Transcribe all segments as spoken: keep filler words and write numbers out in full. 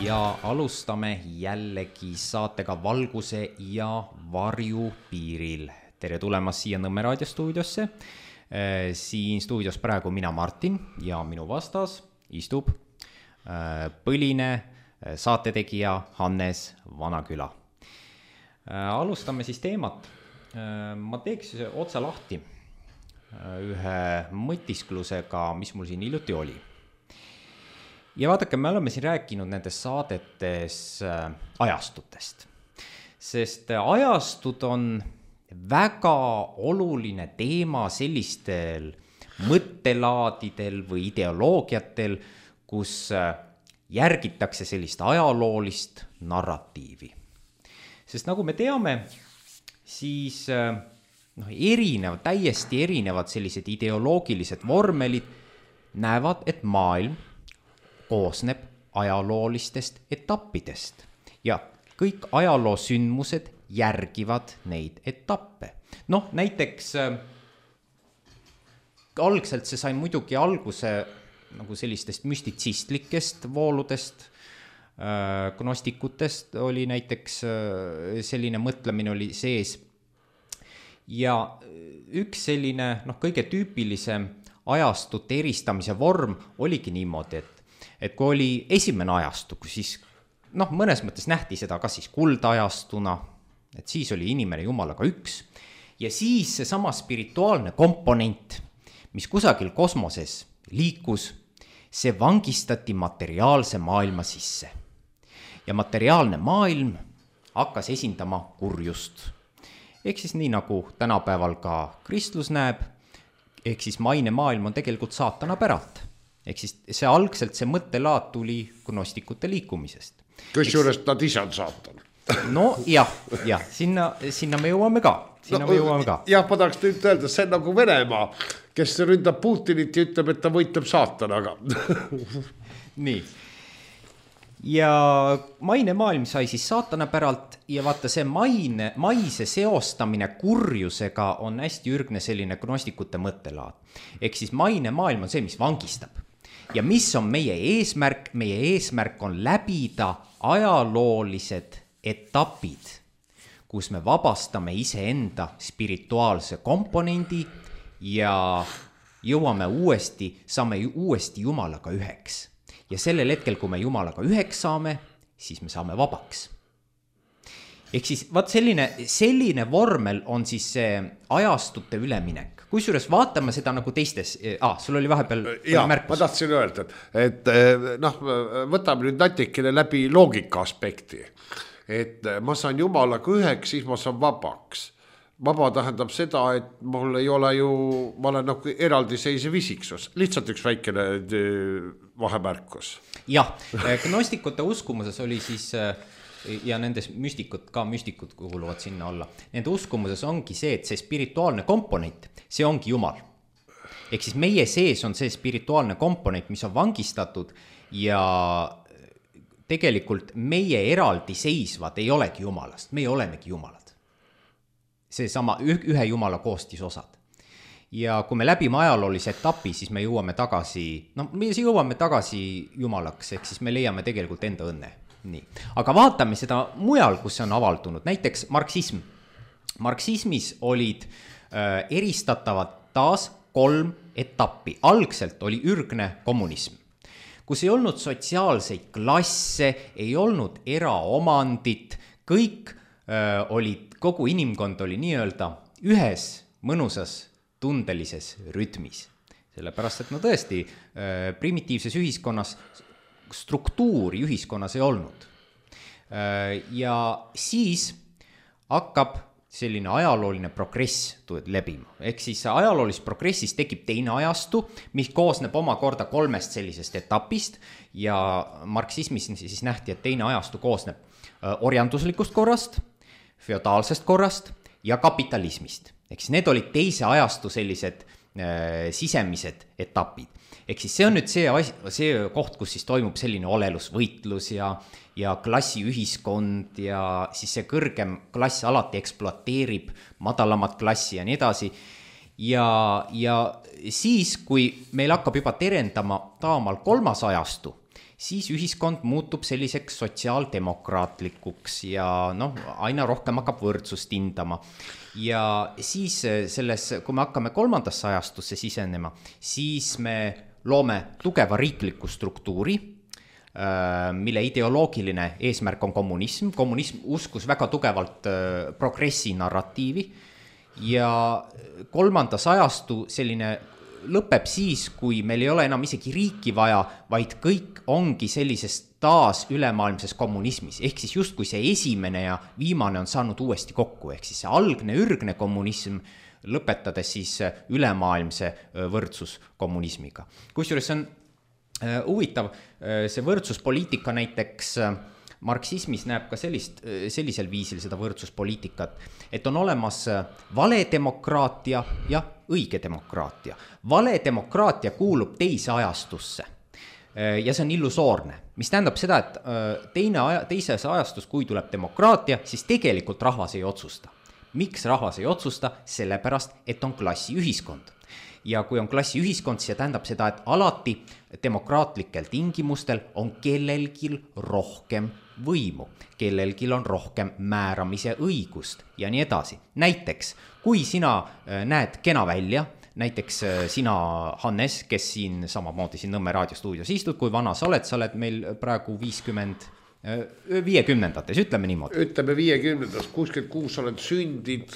ja alustame jällegi saatega Valguse ja varju piiril. Tere tulemast siia Nõmme raadiostuudiosse. Siin stuudios praegu mina Martin ja minu vastas istub põline saatetegija Hannes Vanaküla. Alustame siis teemat. Ma teeks otsa lahti ühe mõtisklusega, mis mul siin hiljuti oli. Ja vaadake, me oleme siin rääkinud nendes saadetes ajastutest, sest ajastud on väga oluline teema sellistel mõttelaadidel või ideoloogiatel, kus järgitakse sellist ajaloolist narratiivi. Sest nagu me teame, siis no, erinevad, täiesti erinevad sellised ideoloogilised vormelid näevad, et maailm koosneb ajaloolistest etappidest ja kõik ajaloosündmused järgivad neid etappe. Noh, näiteks äh, algselt see sai muidugi alguse nagu sellistest müstitsistlikest vooludest, äh, gnostikutest oli näiteks äh, selline mõtlemine oli sees. Ja üks selline noh, kõige tüüpilisem ajastute eristamise vorm oligi niimoodi, et et kui oli esimene ajastu, siis noh, mõnes mõttes nähti seda kas siis kuldajastuna, et siis oli inimene jumalaga üks, ja siis see sama spirituaalne komponent, mis kusagil kosmoses liikus, see vangistati materiaalse maailma sisse. Ja materiaalne maailm hakkas esindama kurjust. Ehk siis nii nagu tänapäeval ka kristlus näeb, ehk siis maine maailm on tegelikult saatana päralt. Ehk siis see algselt see mõttelaad tuli gnostikute liikumisest. Kus juures nad ise on saatan? No jah, jah sinna, sinna me jõuame ka. Sinna no, me jõuame ka. Jah, ma tahaks nüüd öelda, see on nagu Venemaa, kes ründab Putinit ja ütleb, et ta võitleb saatanaga. Nii. Ja maine maailm sai siis saatana päralt ja vaata see maine, maise seostamine kurjusega on hästi ürgne selline gnostikute mõttelaad. Ehk siis maine maailm on see, mis vangistab. Ja mis on meie eesmärk? Meie eesmärk on läbida ajaloolised etapid, kus me vabastame iseenda spirituaalse komponendi ja jõuame uuesti, saame uuesti Jumalaga üheks. Ja sellel hetkel, kui me Jumalaga üheks saame, siis me saame vabaks. Ehk siis vaat selline, selline vormel on siis see ajastute üleminek. Kusjuures vaatame seda nagu teistes, ah, sul oli vahepeal ja, märkus. Ma tahtsin öelda, et, et noh, võtame nüüd natikene läbi loogika aspekti. Et ma saan Jumalaga üheks, siis ma saan vabaks. Vaba tähendab seda, et mul ei ole ju, ma olen nagu eraldiseisev isiksus. Lihtsalt üks väikene vahemärkus. Jah, gnostikute uskumuses oli siis, ja nendes müstikud, ka müstikud kuuluvad sinna alla. Nende uskumuses ongi see, et see spirituaalne komponent, see ongi Jumal. Ehk siis meie sees on see spirituaalne komponent, mis on vangistatud ja tegelikult meie eraldi seisvad ei olegi Jumalast, meie olemegi Jumalad. See sama ühe Jumala koostisosad. Ja kui me läbime ajaloolise etapi, siis me jõuame tagasi, no me jõuame tagasi Jumalaks, ehk siis me leiame tegelikult enda õnne. Nii. Aga vaatame seda mujal, kus see on avaldunud, näiteks marksism. Marksismis olid äh, eristatavad taas kolm etappi. Algselt oli ürgne kommunism, kus ei olnud sotsiaalseid klasse, ei olnud eraomandit, kõik äh, olid, kogu inimkond oli nii-öelda ühes mõnusas tundelises rütmis. Sellepärast, et no tõesti äh, primitiivses ühiskonnas struktuuri ühiskonnas ei olnud. Ja siis hakkab selline ajalooline progress lebima. Ehk siis ajaloolis progressis tekib teine ajastu, mis koosneb omakorda kolmest sellisest etapist ja marksismis siis nähti, et teine ajastu koosneb orjanduslikust korrast, feodaalsest korrast ja kapitalismist. Ehk siis need olid teise ajastu sellised äh, sisemised etapid. Ehk siis see on nüüd see, see koht, kus siis toimub selline olelusvõitlus ja, ja klassiühiskond ja siis see kõrgem klass alati ekspluateerib madalamat klassi ja nii edasi. Ja, ja siis, kui meil hakkab juba terendama taamal kolmas ajastu, siis ühiskond muutub selliseks sotsiaaldemokraatlikuks ja noh, aina rohkem hakkab võrdsust hindama. Ja siis selles, kui me hakkame kolmandasse ajastusse sisenema, siis me loome tugeva riikliku struktuuri, mille ideoloogiline eesmärk on kommunism. Kommunism uskus väga tugevalt progressi narratiivi ja kolmandas ajastu selline lõpeb siis, kui meil ei ole enam isegi riiki vaja, vaid kõik ongi sellises taas ülemaailmses kommunismis. Ehk siis just kui see esimene ja viimane on saanud uuesti kokku, ehk siis see algne ürgne kommunism lõpetades siis ülemaailmse võrdsuskommunismiga. Kusjuures on huvitav, see võrdsuspoliitika näiteks marksismis näeb ka sellist, sellisel viisil seda võrdsuspoliitikat, et on olemas vale demokraatia ja õige demokraatia. Vale demokraatia kuulub teise ajastusse ja see on illusoorne, mis tähendab seda, et teine aja, teises ajastus, kui tuleb demokraatia, siis tegelikult rahvas ei otsusta. Miks rahvas ei otsusta? Sellepärast, et on klassiühiskond. Ja kui on klassiühiskond, see tähendab seda, et alati demokraatlikel tingimustel on kellelgi rohkem võimu, kellelgi on rohkem määramise õigust ja nii edasi. Näiteks, kui sina näed kena välja, näiteks sina, Hannes, kes siin samamoodi siin Nõmme raadiostuudios istud, kui vana sa oled, sa oled meil praegu viiskümmend, viiekümnendates, ütleme niimoodi. Ütleme viiekümnendas, kuuskümmend kuus oled sündid.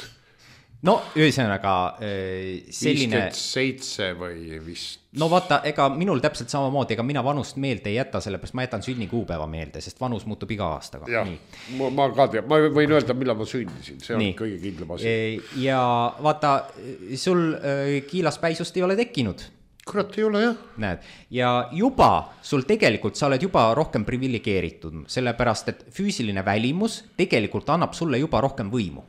No ühesõnaga selline... viiskümmend seitse või vist. No vaata, ega minul täpselt samamoodi, ega mina vanust meelde ei jäta, sellepärast ma jätan sünnikuupäeva meelde, sest vanus muutub iga aastaga. Jah, ma, ma ka tean, ma võin öelda, millal ma sündisin, see on Nii. kõige kindlam asi. Ja vaata, sul kiilaspäisust ei ole tekkinud. Kurat ei ole, jah. Näed, ja juba sul tegelikult, sa oled juba rohkem privilegeeritud, sellepärast, et füüsiline välimus tegelikult annab sulle juba rohkem võimu.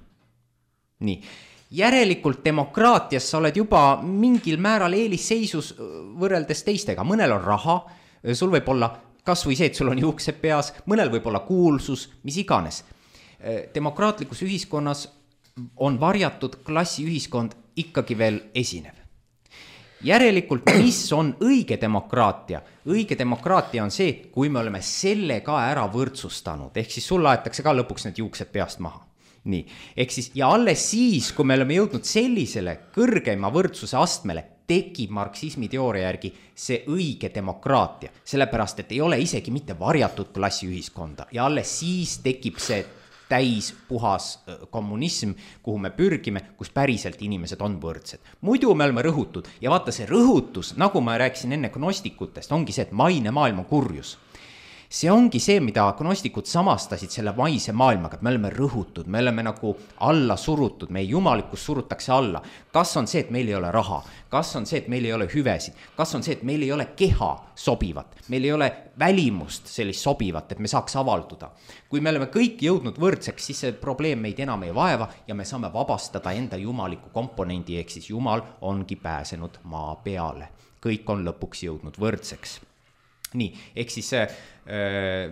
Nii. Järelikult demokraatias sa oled juba mingil määral eelisseisus võrreldes teistega. Mõnel on raha, sul võib olla kas või see, et sul on juuksed peas, mõnel võib olla kuulsus, mis iganes. Demokraatlikus ühiskonnas on varjatud klassiühiskond ikkagi veel esinev. Järelikult, mis on õige demokraatia? Õige demokraatia on see, kui me oleme selle ka ära võrdsustanud, ehk siis sul aetakse ka lõpuks need juuksed peast maha. Nii, ehk siis, ja alles siis, kui me oleme jõudnud sellisele kõrgeima võrdsuse astmele, tekib marksismi teooria järgi see õige demokraatia, sellepärast, et ei ole isegi mitte varjatud klassiühiskonda ja alles siis tekib see täis puhas kommunism, kuhu me pürgime, kus päriselt inimesed on võrdsed. Muidu me oleme rõhutud ja vaata see rõhutus, nagu ma rääkisin enne gnostikutest, ongi see, et maine maailm on kurjus. See ongi see, mida gnostikud samastasid selle maise maailmaga, et me oleme rõhutud, me oleme nagu alla surutud, meie jumalikkus surutakse alla. Kas on see, et meil ei ole raha? Kas on see, et meil ei ole hüvesid? Kas on see, et meil ei ole keha sobivat? Meil ei ole välimust sellist sobivat, et me saaks avalduda. Kui me oleme kõik jõudnud võrdseks, siis see probleem meid enam ei vaeva ja me saame vabastada enda jumaliku komponendi, ehk siis jumal ongi pääsenud maa peale. Kõik on lõpuks jõudnud võrdseks. Nii, ehk siis äh,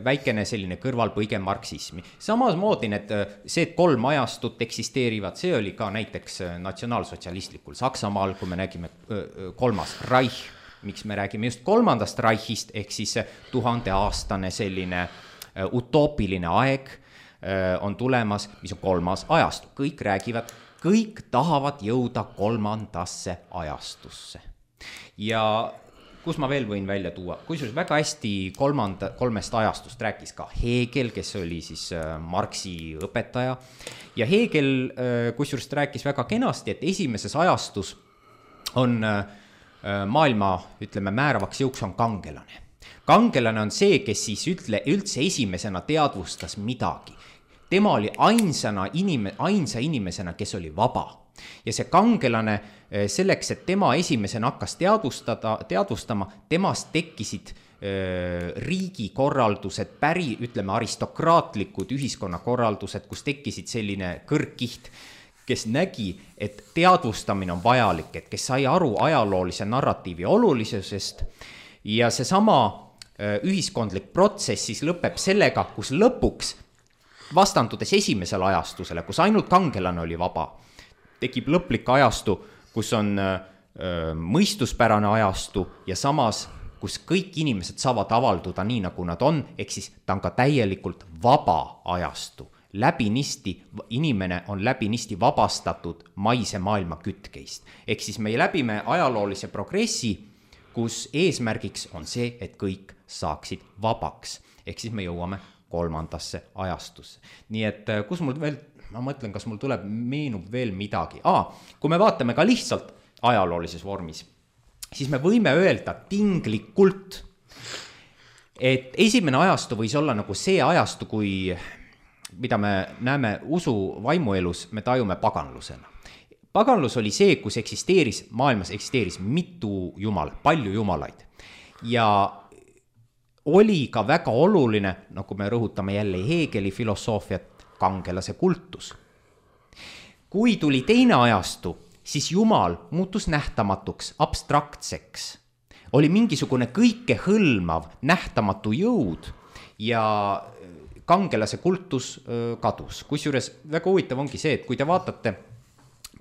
väikene selline kõrvalpõige marksismi. Samas moodi need, see, et kolm ajastut eksisteerivad, see oli ka näiteks natsionaalsotsialistlikul Saksamaal, kui me nägime äh, kolmas Reich, miks me räägime just kolmandast Reichist, ehk siis tuhandeaastane selline äh, utoopiline aeg äh, on tulemas, mis on kolmas ajastu. Kõik räägivad, kõik tahavad jõuda kolmandasse ajastusse. Ja kus ma veel võin välja tuua, kusjuures väga hästi kolmanda, kolmest ajastust rääkis ka Hegel, kes oli siis Marxi õpetaja. Ja Hegel kusjuures rääkis väga kenasti, et esimeses ajastus on maailma, ütleme, määravaks jõuks on kangelane. Kangelane on see, kes siis ütle, üldse esimesena teadvustas midagi. Tema oli ainsana inime, ainsa inimesena, kes oli vaba. Ja see kangelane selleks, et tema esimesena hakkas teadvustada, teadvustama, temast tekkisid äh, riigikorraldused, päri, ütleme, aristokraatlikud ühiskonnakorraldused, kus tekkisid selline kõrgkiht, kes nägi, et teadvustamine on vajalik, et kes sai aru ajaloolise narratiivi olulisusest ja seesama äh, ühiskondlik protsess siis lõpeb sellega, kus lõpuks vastandudes esimesele ajastusele, kus ainult kangelane oli vaba, tekib lõplik ajastu, kus on öö, mõistuspärane ajastu ja samas kus kõik inimesed saavad avalduda nii, nagu nad on, ehk siis ta on ka täielikult vaba ajastu. Läbinisti, inimene on läbinisti vabastatud maise maailma kütkeist. Ehk siis me läbime ajaloolise progressi, kus eesmärgiks on see, et kõik saaksid vabaks. Ehk siis me jõuame kolmandasse ajastusse. Nii et kus mul veel, ma mõtlen, kas mul tuleb, meenub veel midagi. Aa, kui me vaatame ka lihtsalt ajaloolises vormis, siis me võime öelda tinglikult, et esimene ajastu võis olla nagu see ajastu, kui, mida me näeme usu vaimuelus, me tajume paganlusena. Paganlus oli see, kus eksisteeris, maailmas eksisteeris mitu jumal, palju jumalaid. Ja oli ka väga oluline, nagu me rõhutame jälle Hegeli filosoofiat, kangelase kultus. Kui tuli teine ajastu, siis jumal muutus nähtamatuks, abstraktseks. Oli mingisugune kõike hõlmav, nähtamatu jõud ja kangelase kultus kadus. Kusjuures väga huvitav ongi see, et kui te vaatate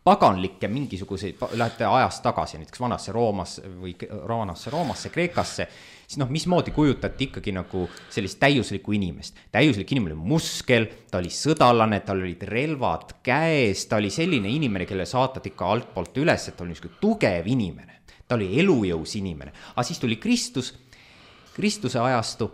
paganlikke mingisuguseid, lähete ajast tagasi, näiteks vanasse Roomasse või vanasse Roomasse, Kreekasse, siis noh, mismoodi kujutati ikkagi nagu sellist täiuslikku inimest. Täiuslik inimene oli muskel, ta oli sõdalane, tal olid relvad käes, ta oli selline inimene, kelle saatad ikka altpoolt üles, et ta oli niisugune tugev inimene. Ta oli elujõus inimene. Aga siis tuli Kristus, Kristuse ajastu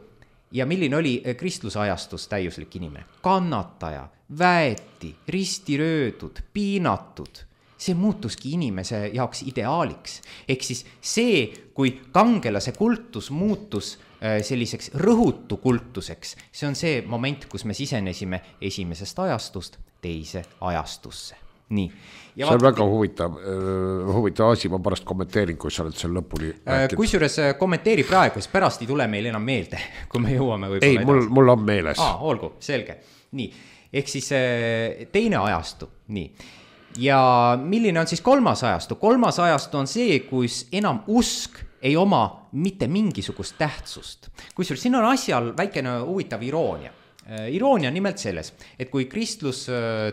ja milline oli Kristluse ajastus täiuslik inimene? Kannataja, väeti, ristiröödud, piinatud. See muutuski inimese jaoks ideaaliks. Ehk siis see, kui kangelase kultus muutus selliseks rõhutu kultuseks, see on see moment, kus me sisenesime esimesest ajastust teise ajastusse. Nii. Ja see on vaat... väga huvitav, huvitav asi, ma pärast kommenteerin, kui sa oled seal lõpuni rääkinud. Kusjuures kommenteeri praegu, siis pärast ei tule meil enam meelde, kui me jõuame võib-olla. Ei, mul, mul on meeles. Aa, olgu, selge. Nii, ehk siis teine ajastu, nii. Ja milline on siis kolmas ajastu? Kolmas ajastu on see, kus enam usk ei oma mitte mingisugust tähtsust. Kusjuures siin on asjal väikene huvitav iroonia. Iroonia nimelt selles, et kui kristlus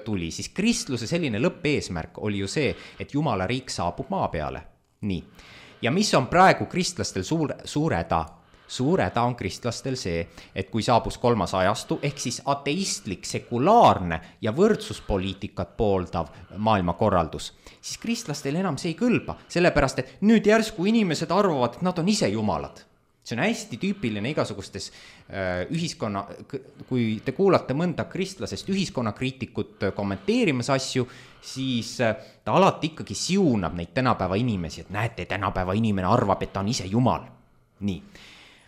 tuli, siis kristluse selline lõppeesmärk oli ju see, et Jumala riik saabub maa peale. Nii. Ja mis on praegu kristlastel suure, suureda? Suureda on kristlastel see, et kui saabus kolmas ajastu, ehk siis ateistlik, sekulaarne ja võrdsuspoliitikat pooldav maailmakorraldus, siis kristlastel enam see ei kõlba, sellepärast, et nüüd järsku inimesed arvavad, et nad on ise jumalad. See on hästi tüüpiline igasugustes äh, ühiskonna, kui te kuulate mõnda kristlasest ühiskonnakriitikut kommenteerimas asju, siis äh, ta alati ikkagi siunab neid tänapäeva inimesi, et näete, tänapäeva inimene arvab, et ta on ise jumal. Nii.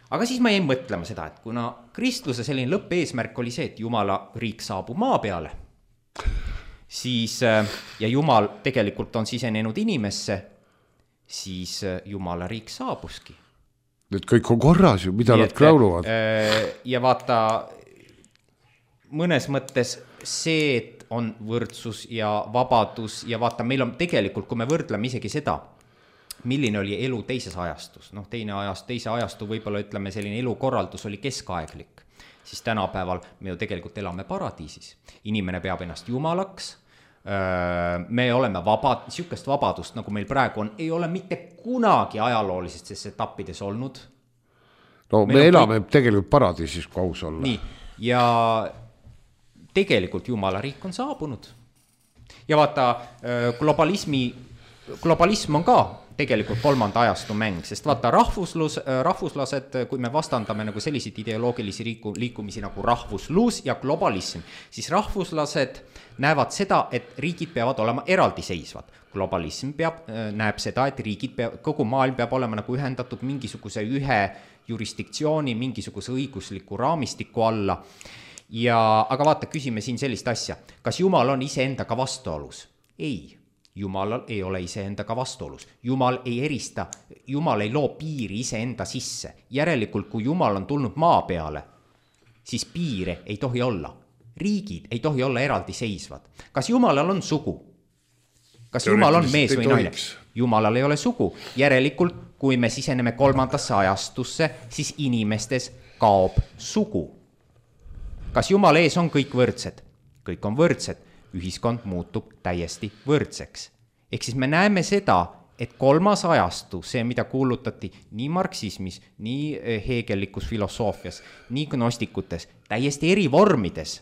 Aga siis ma jäin mõtlema seda, et kuna kristluse selline lõppeesmärk oli see, et Jumala riik saabub maa peale, siis, äh, ja Jumal tegelikult on sisenenud inimesse, siis äh, Jumala riik saabuski. Nüüd kõik on korras ju, mida Nii, nad krauluvad. Ja vaata, mõnes mõttes see, et on võrdsus ja vabadus ja vaata, meil on tegelikult, kui me võrdleme isegi seda, milline oli elu teises ajastus, noh, teine ajast, teise ajastu võib-olla ütleme, selline elukorraldus oli keskaeglik, siis tänapäeval me ju tegelikult elame paradiisis. Inimene peab ennast jumalaks, me oleme vabad, niisugust vabadust, nagu meil praegu on, ei ole mitte kunagi ajaloolistes etappides olnud. No me meil elame kõik... tegelikult paradiisis, kui aus olla. Nii, ja tegelikult Jumala riik on saabunud. Ja vaata, globalismi, globalism on ka tegelikult kolmanda ajastu mäng, sest vaata rahvuslus, rahvuslased, kui me vastandame nagu selliseid ideoloogilisi liiku, liikumisi nagu rahvuslus ja globalism, siis rahvuslased näevad seda, et riigid peavad olema eraldiseisvad. Globalism peab, näeb seda, et riigid peab, kogu maailm peab olema nagu ühendatud mingisuguse ühe jurisdiktsiooni, mingisuguse õigusliku raamistiku alla. Ja, aga vaata, küsime siin sellist asja. Kas Jumal on iseendaga vastuolus? Ei. Jumalal ei ole iseendaga vastuolus. Jumal ei erista, Jumal ei loo piiri iseenda sisse. Järelikult, kui Jumal on tulnud maa peale, siis piire ei tohi olla. Riigid ei tohi olla eraldiseisvad. Kas Jumalal on sugu? Kas Jumal on mees või naine? Jumalal ei ole sugu. Järelikult, kui me siseneme kolmandasse ajastusse, siis inimestes kaob sugu. Kas Jumal ees on kõik võrdsed? Kõik on võrdsed. Ühiskond muutub täiesti võrdseks. Ehk siis me näeme seda, et kolmas ajastu, see, mida kuulutati nii marksismis, nii heegellikus filosoofias, nii gnostikutes, täiesti eri vormides,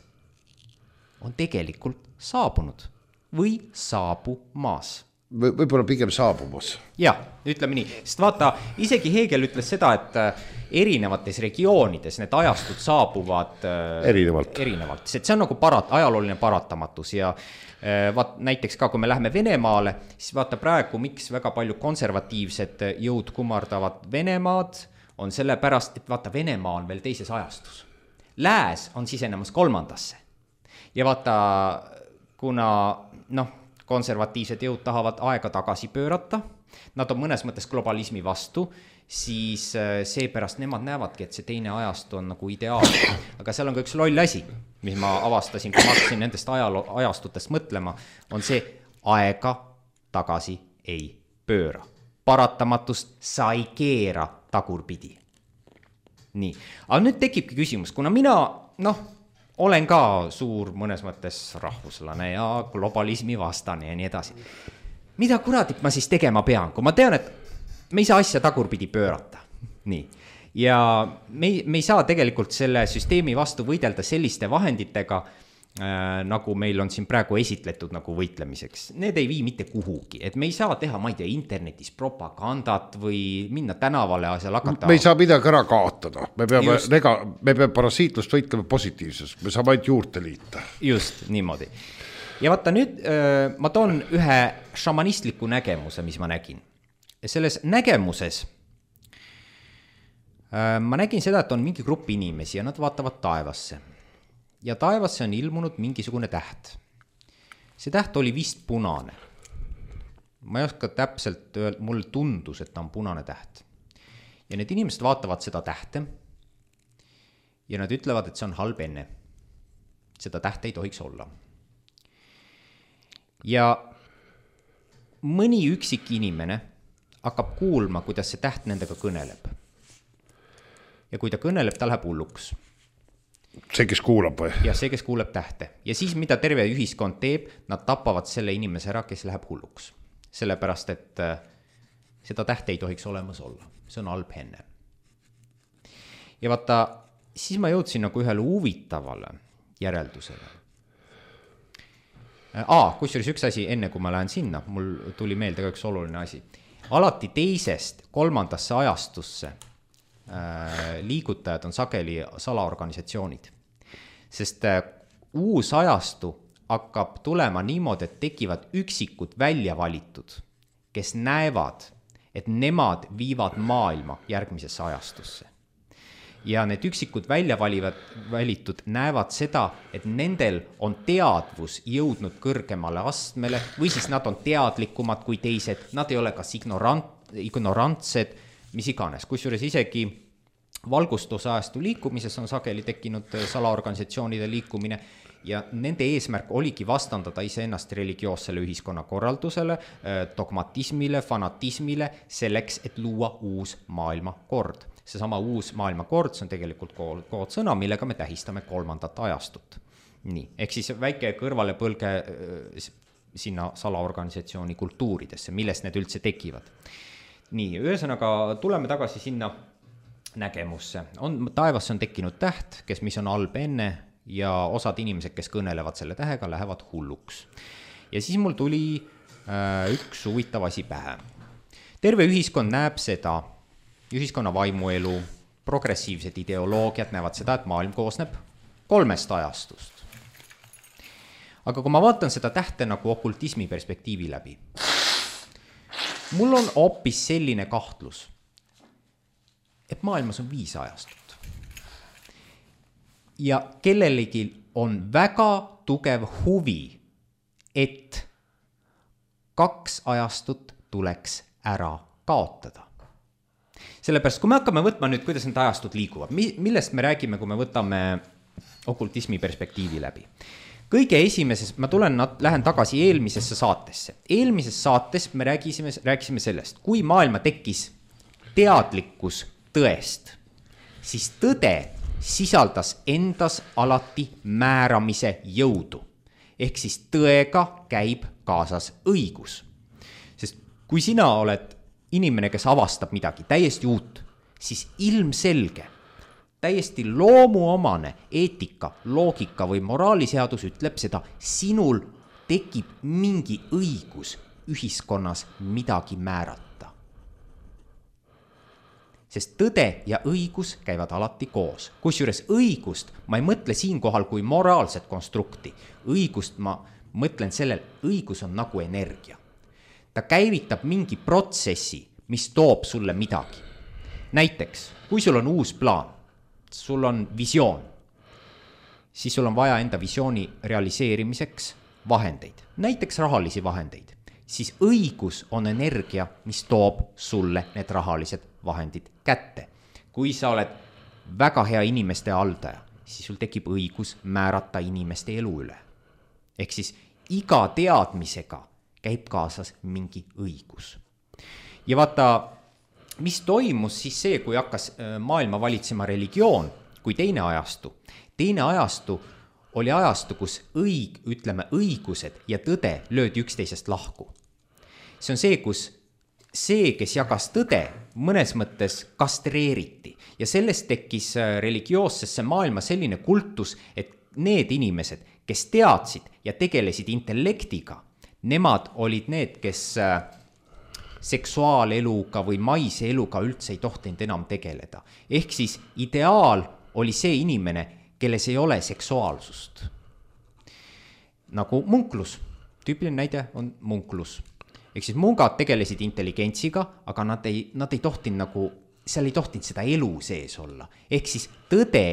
on tegelikult saabunud või saabumas. Võib-olla pigem saabumas. Jah, ütleme nii, sest vaata, isegi Hegel ütles seda, et erinevates regioonides need ajastud saabuvad erinevalt, erinevalt. See on nagu parat, ajalooline paratamatus ja vaat, näiteks ka, kui me läheme Venemaale, siis vaata praegu, miks väga palju konservatiivsed jõud kummardavad Venemaad, on selle pärast, et vaata, Venemaa on veel teises ajastus. Lääs on sisenemas kolmandasse. Ja vaata, kuna noh, konservatiivsed jõud tahavad aega tagasi pöörata, nad on mõnes mõttes globalismi vastu, siis seepärast nemad näevadki, et see teine ajastu on nagu ideaalne. Aga seal on ka üks loll asi, mis ma avastasin, kui ma hakkasin nendest ajalo- ajastutest mõtlema, on see aega tagasi ei pööra. Paratamatust sa ei keera tagurpidi. Nii, aga nüüd tekibki küsimus, kuna mina, noh, olen ka suur mõnes mõttes rahvuslane ja globalismi vastane ja nii edasi. Mida kuradit ma siis tegema pean, kui ma tean, et me ei saa asja tagurpidi pöörata. Nii. Ja me ei, me ei saa tegelikult selle süsteemi vastu võidelda selliste vahenditega, äh, nagu meil on siin praegu esitletud nagu võitlemiseks. Need ei vii mitte kuhugi, et me ei saa teha, ma ei tea, internetis propagandat või minna tänavale ja seal hakata. Me ei saa midagi ära kaotada, me peame, nega, me peame parasiitlust võitlema positiivses, me saame ainult juurde liita. Just, niimoodi. Ja vaata nüüd äh, ma toon ühe šamanistliku nägemuse, mis ma nägin. Ja selles nägemuses äh, ma nägin seda, et on mingi grupp inimesi ja nad vaatavad taevasse. Ja taevasse on ilmunud mingisugune täht. See täht oli vist punane. Ma ei oska täpselt öelda, mul tundus, et ta on punane täht. Ja need inimesed vaatavad seda tähte ja nad ütlevad, et see on halb enne. Seda tähte ei tohiks olla. Ja mõni üksik inimene hakkab kuulma, kuidas see täht nendega kõneleb. Ja kui ta kõneleb, ta läheb hulluks. See, kes kuulab või? Ja see, kes kuuleb tähte. Ja siis, mida terve ühiskond teeb, nad tapavad selle inimese ära, kes läheb hulluks. Sellepärast, et seda tähte ei tohiks olemas olla. See on halb enne. Ja vaata, siis ma jõudsin nagu ühele huvitavale järeldusele. Aa, kusjuures üks asi, enne kui ma lähen sinna, mul tuli meelde ka üks oluline asi. Alati teisest kolmandasse ajastusse äh, liigutajad on sageli salaorganisatsioonid. Sest äh, uus ajastu hakkab tulema niimoodi, et tekivad üksikud välja valitud, kes näevad, et nemad viivad maailma järgmisesse ajastusse. Ja need üksikud välja valivad, valitud näevad seda, et nendel on teadvus jõudnud kõrgemale astmele või siis nad on teadlikumad kui teised, nad ei ole kas ignorant, ignorantsed, mis iganes. Kusjuures isegi valgustusajastu liikumises on sageli tekkinud salaorganisatsioonide liikumine ja nende eesmärk oligi vastandada iseennast religioossele ühiskonnakorraldusele, dogmatismile, fanatismile, selleks, et luua uus maailmakord. Seesama uus maailmakord, see on tegelikult koodsõna, millega me tähistame kolmandat ajastut. Nii, ehk siis väike kõrvale põlge sinna salaorganisatsiooni kultuuridesse, millest need üldse tekivad. Nii, ühesõnaga tuleme tagasi sinna nägemusse. On, taevas on tekkinud täht, kes mis on halb enne ja osad inimesed, kes kõnelevad selle tähega, lähevad hulluks. Ja siis mul tuli äh, üks huvitav asi pähe. Terve ühiskond näeb seda, ühiskonna vaimuelu, progressiivsed ideoloogiad näevad seda, et maailm koosneb kolmest ajastust. Aga kui ma vaatan seda tähte nagu okultismi perspektiivi läbi, mul on hoopis selline kahtlus, et maailmas on viis ajastut. Ja kellelegi on väga tugev huvi, et kaks ajastut tuleks ära kaotada. Sellepärast, kui me hakkame võtma nüüd, kuidas need ajastud liiguvad, millest me räägime, kui me võtame okultismi perspektiivi läbi. Kõige esimeses, ma tulen, lähen tagasi eelmisesse saatesse. Eelmises saates me räägisime, rääkisime sellest, kui maailma tekkis teadlikkus tõest, siis tõde sisaldas endas alati määramise jõudu. Ehk siis tõega käib kaasas õigus. Sest kui sina oled inimene, kes avastab midagi täiesti uut, siis ilmselge, täiesti loomuomane eetika, loogika või moraaliseadus ütleb seda, sinul tekib mingi õigus ühiskonnas midagi määrata. Sest tõde ja õigus käivad alati koos. Kusjuures õigust ma ei mõtle siinkohal kui moraalset konstrukti. Õigust ma mõtlen sellel, õigus on nagu energia. Ta käivitab mingi protsessi, mis toob sulle midagi. Näiteks, kui sul on uus plaan, sul on visioon, siis sul on vaja enda visiooni realiseerimiseks vahendeid, näiteks rahalisi vahendeid. Siis õigus on energia, mis toob sulle need rahalised vahendid kätte. Kui sa oled väga hea inimeste haldaja, siis sul tekib õigus määrata inimeste elu üle. Ehk siis iga teadmisega käib kaasas mingi õigus. Ja vaata, mis toimus siis see, kui hakkas maailma valitsema religioon, kui teine ajastu. Teine ajastu oli ajastu, kus õig, ütleme, õigused ja tõde löödi üksteisest lahku. See on see, kus see, kes jagas tõde, mõnes mõttes kastreeriti. Ja sellest tekkis religioossesse maailma selline kultus, et need inimesed, kes teadsid ja tegelesid intellektiga, nemad olid need, kes seksuaaleluga või maise eluga üldse ei tohtinud enam tegeleda. Ehk siis ideaal oli see inimene, kelles ei ole seksuaalsust. Nagu munklus. Tüüpiline näide on munklus. Ehk siis mungad tegelesid intelligentsiga, aga nad ei, nad ei tohtinud nagu, seal ei tohtinud seda elu sees olla. Ehk siis tõde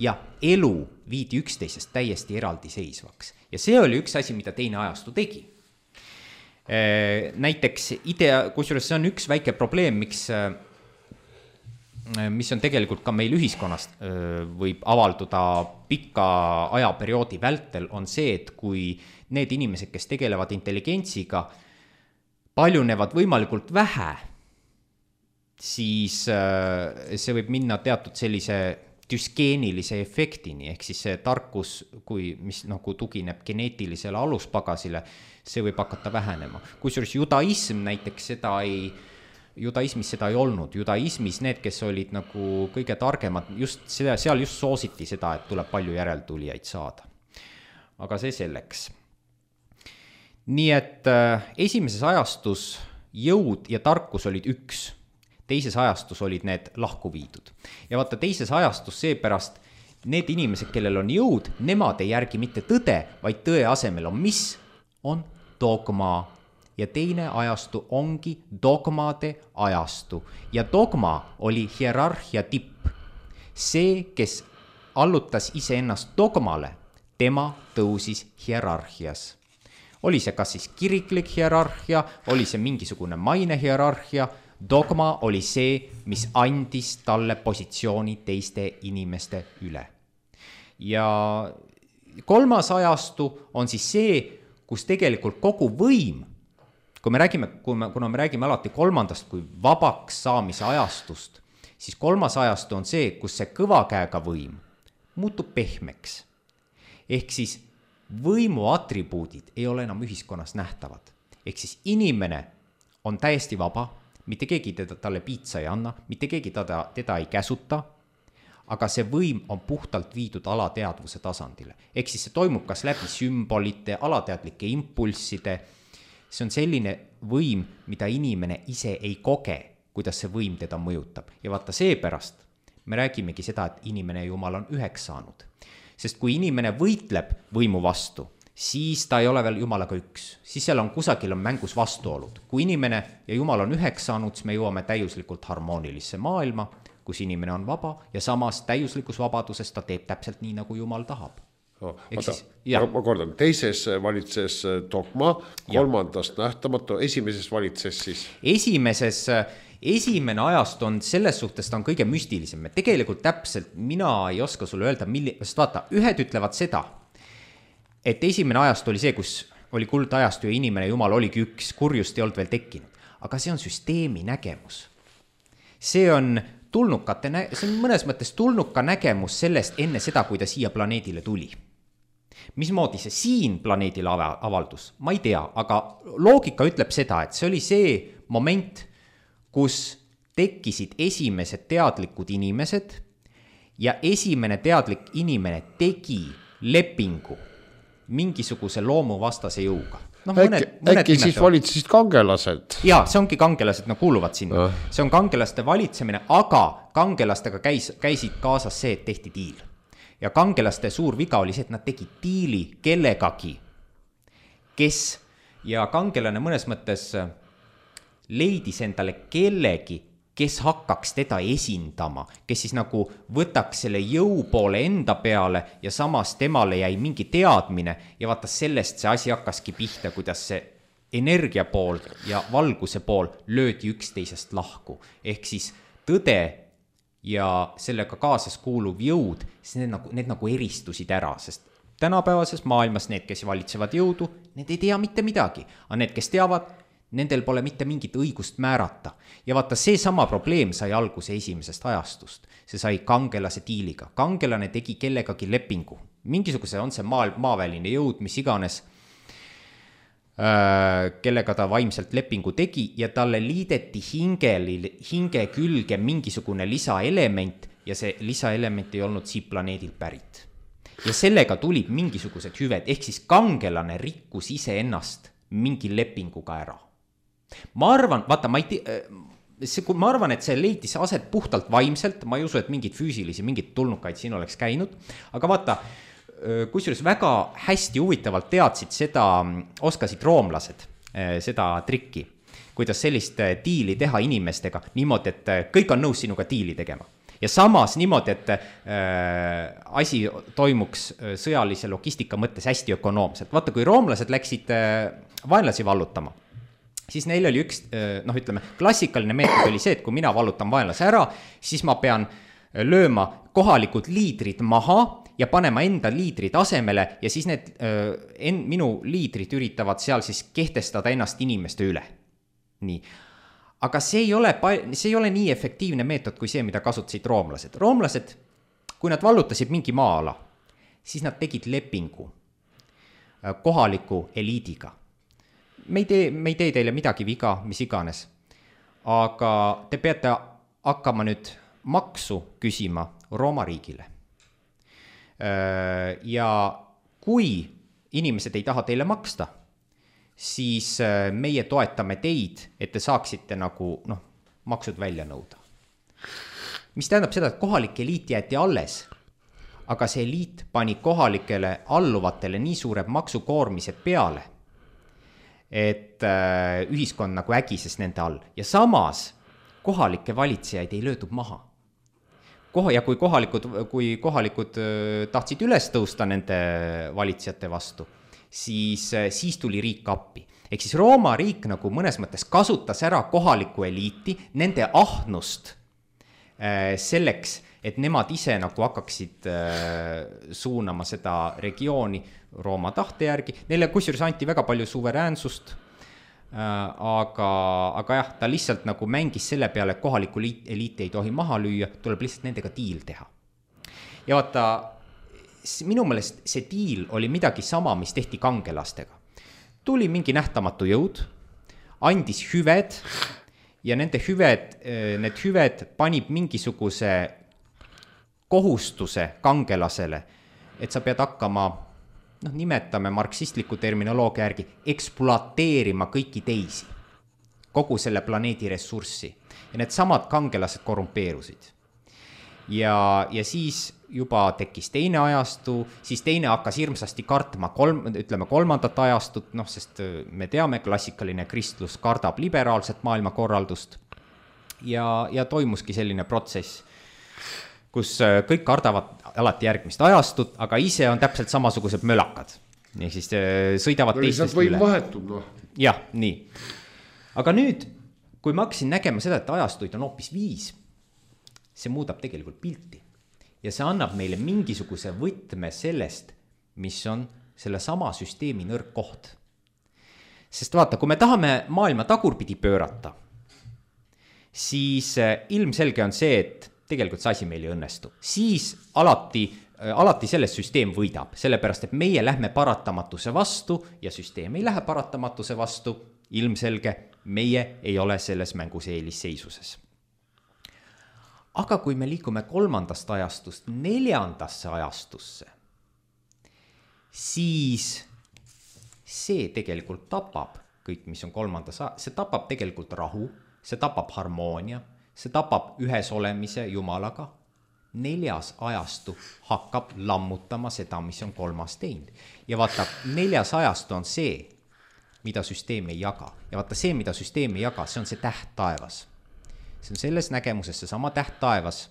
ja elu viidi üksteisest täiesti eraldi seisvaks. Ja see oli üks asi, mida teine ajastu tegi. Näiteks idea, kusjuures see on üks väike probleem, miks, mis on tegelikult ka meil ühiskonnast võib avalduda pika ajaperioodi vältel, on see, et kui need inimesed, kes tegelevad intelligentsiga, paljunevad võimalikult vähe, siis see võib minna teatud sellise düskeenilise efektini, ehk siis see tarkus, kui, mis nagu tugineb geneetilisele aluspagasile, see võib hakata vähenema. Kusjuures judaism näiteks seda ei, judaismis seda ei olnud. Judaismis need, kes olid nagu kõige targemad, just seda, seal just soositi seda, et tuleb palju järeltulijaid saada. Aga see selleks. Nii et äh, esimeses ajastus jõud ja tarkus olid üks, teises ajastus olid need lahku viidud. Ja vaata, teises ajastus seepärast need inimesed, kellel on jõud, nemad ei järgi mitte tõde, vaid tõe asemel on mis? On dogma. Ja teine ajastu ongi dogmade ajastu. Ja dogma oli hierarhia tipp. See, kes allutas iseennast dogmale, tema tõusis hierarhias. Oli see kas siis kiriklik hierarhia, oli see mingisugune maine hierarhia, dogma oli see, mis andis talle positsiooni teiste inimeste üle. Ja kolmas ajastu on siis see, kus tegelikult kogu võim, kui me räägime, kui me, kuna me räägime alati kolmandast kui vabaks saamise ajastust, siis kolmas ajastu on see, kus see kõva käega võim muutub pehmeks. Ehk siis võimu atribuudid ei ole enam ühiskonnas nähtavad. Ehk siis inimene on täiesti vaba, mitte keegi teda, talle piitsa ei anna, mitte keegi teda, teda ei käsuta, aga see võim on puhtalt viidud alateadvuse tasandile. Ehk siis see toimub kas läbi sümbolite, alateadlike impulsside. See on selline võim, mida inimene ise ei koge, kuidas see võim teda mõjutab. Ja vaata seepärast me räägimegi seda, et inimene ja Jumal on üheks saanud. Sest kui inimene võitleb võimu vastu, siis ta ei ole veel Jumalaga üks. Siis seal on kusagil on mängus vastuolud. Kui inimene ja Jumal on üheks saanud, siis me jõuame täiuslikult harmoonilisse maailma, kus inimene on vaba ja samas täiuslikus vabaduses ta teeb täpselt nii, nagu Jumal tahab. No, siis, ma, ma kordan, teises valitses dogma, kolmandast ja. Nähtamatu, esimeses valitses siis? Esimeses, esimene ajast on selles suhtes, ta on kõige müstilisem. Tegelikult täpselt mina ei oska sulle öelda, milli, sest vaata, ühed ütlevad seda, et esimene ajast oli see, kus oli kuldajastu ja inimene ja Jumal oligi üks, kurjust ei olnud veel tekkinud. Aga see on süsteemi nägemus. See on tulnukate, see on mõnes mõttes tulnuka nägemus sellest enne seda, kui ta siia planeedile tuli. Mismoodi see siin planeedile avaldus? Ma ei tea, aga loogika ütleb seda, et see oli see moment, kus tekkisid esimesed teadlikud inimesed ja esimene teadlik inimene tegi lepingu mingisuguse loomuvastase jõuga. No, mõned, äkki mõned äkki siis valitsesid kangelased? Jaa, see ongi kangelased, no kuuluvad sinna. Ja. See on kangelaste valitsemine, aga kangelastega käis, käisid kaasas see, et tehti diil. Ja kangelaste suur viga oli see, et nad tegid diili kellegagi, kes, ja kangelane mõnes mõttes leidis endale kellegi, kes hakkaks teda esindama, kes siis nagu võtaks selle jõu poole enda peale ja samas temale jäi mingi teadmine ja vaata sellest see asi hakkaski pihta, kuidas see energia pool ja valguse pool löödi üksteisest lahku. Ehk siis tõde ja sellega kaasas kuuluv jõud, need nagu, need nagu eristusid ära, sest tänapäevases maailmas need, kes valitsevad jõudu, need ei tea mitte midagi, aga need, kes teavad, nendel pole mitte mingit õigust määrata. Ja vaata, see sama probleem sai alguse esimesest ajastust. See sai kangelase diiliga. Kangelane tegi kellegagi lepingu. Mingisuguse on see maa, maaväline jõud, mis iganes, äh, kellega ta vaimselt lepingu tegi ja talle liideti hingeli, hinge külge mingisugune lisaelement ja see lisaelement ei olnud siit planeedilt pärit. Ja sellega tulid mingisugused hüved, ehk siis kangelane rikkus ise ennast mingi lepinguga ära. Ma arvan, vaata, ma, ei te, see, ma arvan, et see leidis aset puhtalt vaimselt, ma ei usu, et mingid füüsilisi, mingid tulnukaid siin oleks käinud, aga vaata, kusjuures väga hästi huvitavalt teadsid seda, oskasid roomlased seda trikki, kuidas sellist diili teha inimestega niimoodi, et kõik on nõus sinuga diili tegema. Ja samas niimoodi, et äh, asi toimuks sõjalise logistika mõttes hästi ökonoomselt. Vaata, kui roomlased läksid äh, vaenlasi vallutama, siis neil oli üks, noh ütleme, klassikaline meetod oli see, et kui mina vallutan vaenlase ära, siis ma pean lööma kohalikud liidrid maha ja panema enda liidrid asemele ja siis need en, minu liidrid üritavad seal siis kehtestada ennast inimeste üle. Nii. Aga see ei ole, see ei ole nii efektiivne meetod kui see, mida kasutasid roomlased. Roomlased, kui nad vallutasid mingi maa-ala, siis nad tegid lepingu kohaliku eliidiga. Me ei, tee, me ei tee teile midagi viga, mis iganes, aga te peate hakkama nüüd maksu küsima Rooma riigile. Ja kui inimesed ei taha teile maksta, siis meie toetame teid, et te saaksite nagu noh, maksud välja nõuda. Mis tähendab seda, et kohalik eliit jäeti alles, aga see eliit pani kohalikele alluvatele nii suured maksukoormised peale, et äh, ühiskond nagu ägises nende all. Ja samas kohalike valitsejaid ei löödud maha. Koha, ja kui kohalikud, kui kohalikud äh, tahtsid üles tõusta nende valitsejate vastu, siis, äh, siis tuli riik appi. Ehk siis Rooma riik nagu mõnes mõttes kasutas ära kohaliku eliiti, nende ahnust äh, selleks, et nemad ise nagu hakkaksid äh, suunama seda regiooni Rooma tahte järgi. Neile kusjuures anti väga palju suveräänsust, äh, aga, aga jah, ta lihtsalt nagu mängis selle peale, et kohaliku eliiti ei tohi maha lüüa, tuleb lihtsalt nendega diil teha. Ja vaata, minu meelest see diil oli midagi sama, mis tehti kangelastega. Tuli mingi nähtamatu jõud, andis hüved ja nende hüved, need hüved panib mingisuguse kohustuse kangelasele, et sa pead hakkama, noh, nimetame marksistliku terminoloogia järgi, ekspluateerima kõiki teisi, kogu selle planeedi ressurssi. Ja need samad kangelased korrumpeerusid. Ja, ja siis juba tekkis teine ajastu, siis teine hakkas hirmsasti kartma kolm, ütleme kolmandat ajastut, noh, sest me teame, klassikaline kristlus kardab liberaalset maailmakorraldust ja, ja toimuski selline protsess, kus kõik kardavad alati järgmist ajastut, aga ise on täpselt samasugused mölakad. Nii siis sõidavad no, teistest üle. Vahetub, no. Jah, nii. Aga nüüd, kui ma hakkasin nägema seda, et ajastuid on hoopis viis, see muudab tegelikult pilti. Ja see annab meile mingisuguse võtme sellest, mis on selle sama süsteemi nõrk koht. Sest vaata, kui me tahame maailma tagurpidi pöörata, siis ilmselge on see, et tegelikult see asi meil ei õnnestu. Siis alati, alati selles süsteem võidab, sellepärast, et meie lähme paratamatuse vastu ja süsteem ei lähe paratamatuse vastu, ilmselge, meie ei ole selles mängus eelisseisuses. Aga kui me liigume kolmandast ajastust neljandasse ajastusse, siis see tegelikult tapab kõik, mis on kolmandas, see tapab tegelikult rahu, see tapab harmoonia, see tapab ühes olemise Jumalaga. Neljas ajastu hakkab lammutama seda, mis on kolmas teinud. Ja vaata, neljas ajastu on see, mida süsteem ei jaga. Ja vaata, see, mida süsteem ei jaga, see on see täht taevas. See on selles nägemuses see sama täht taevas,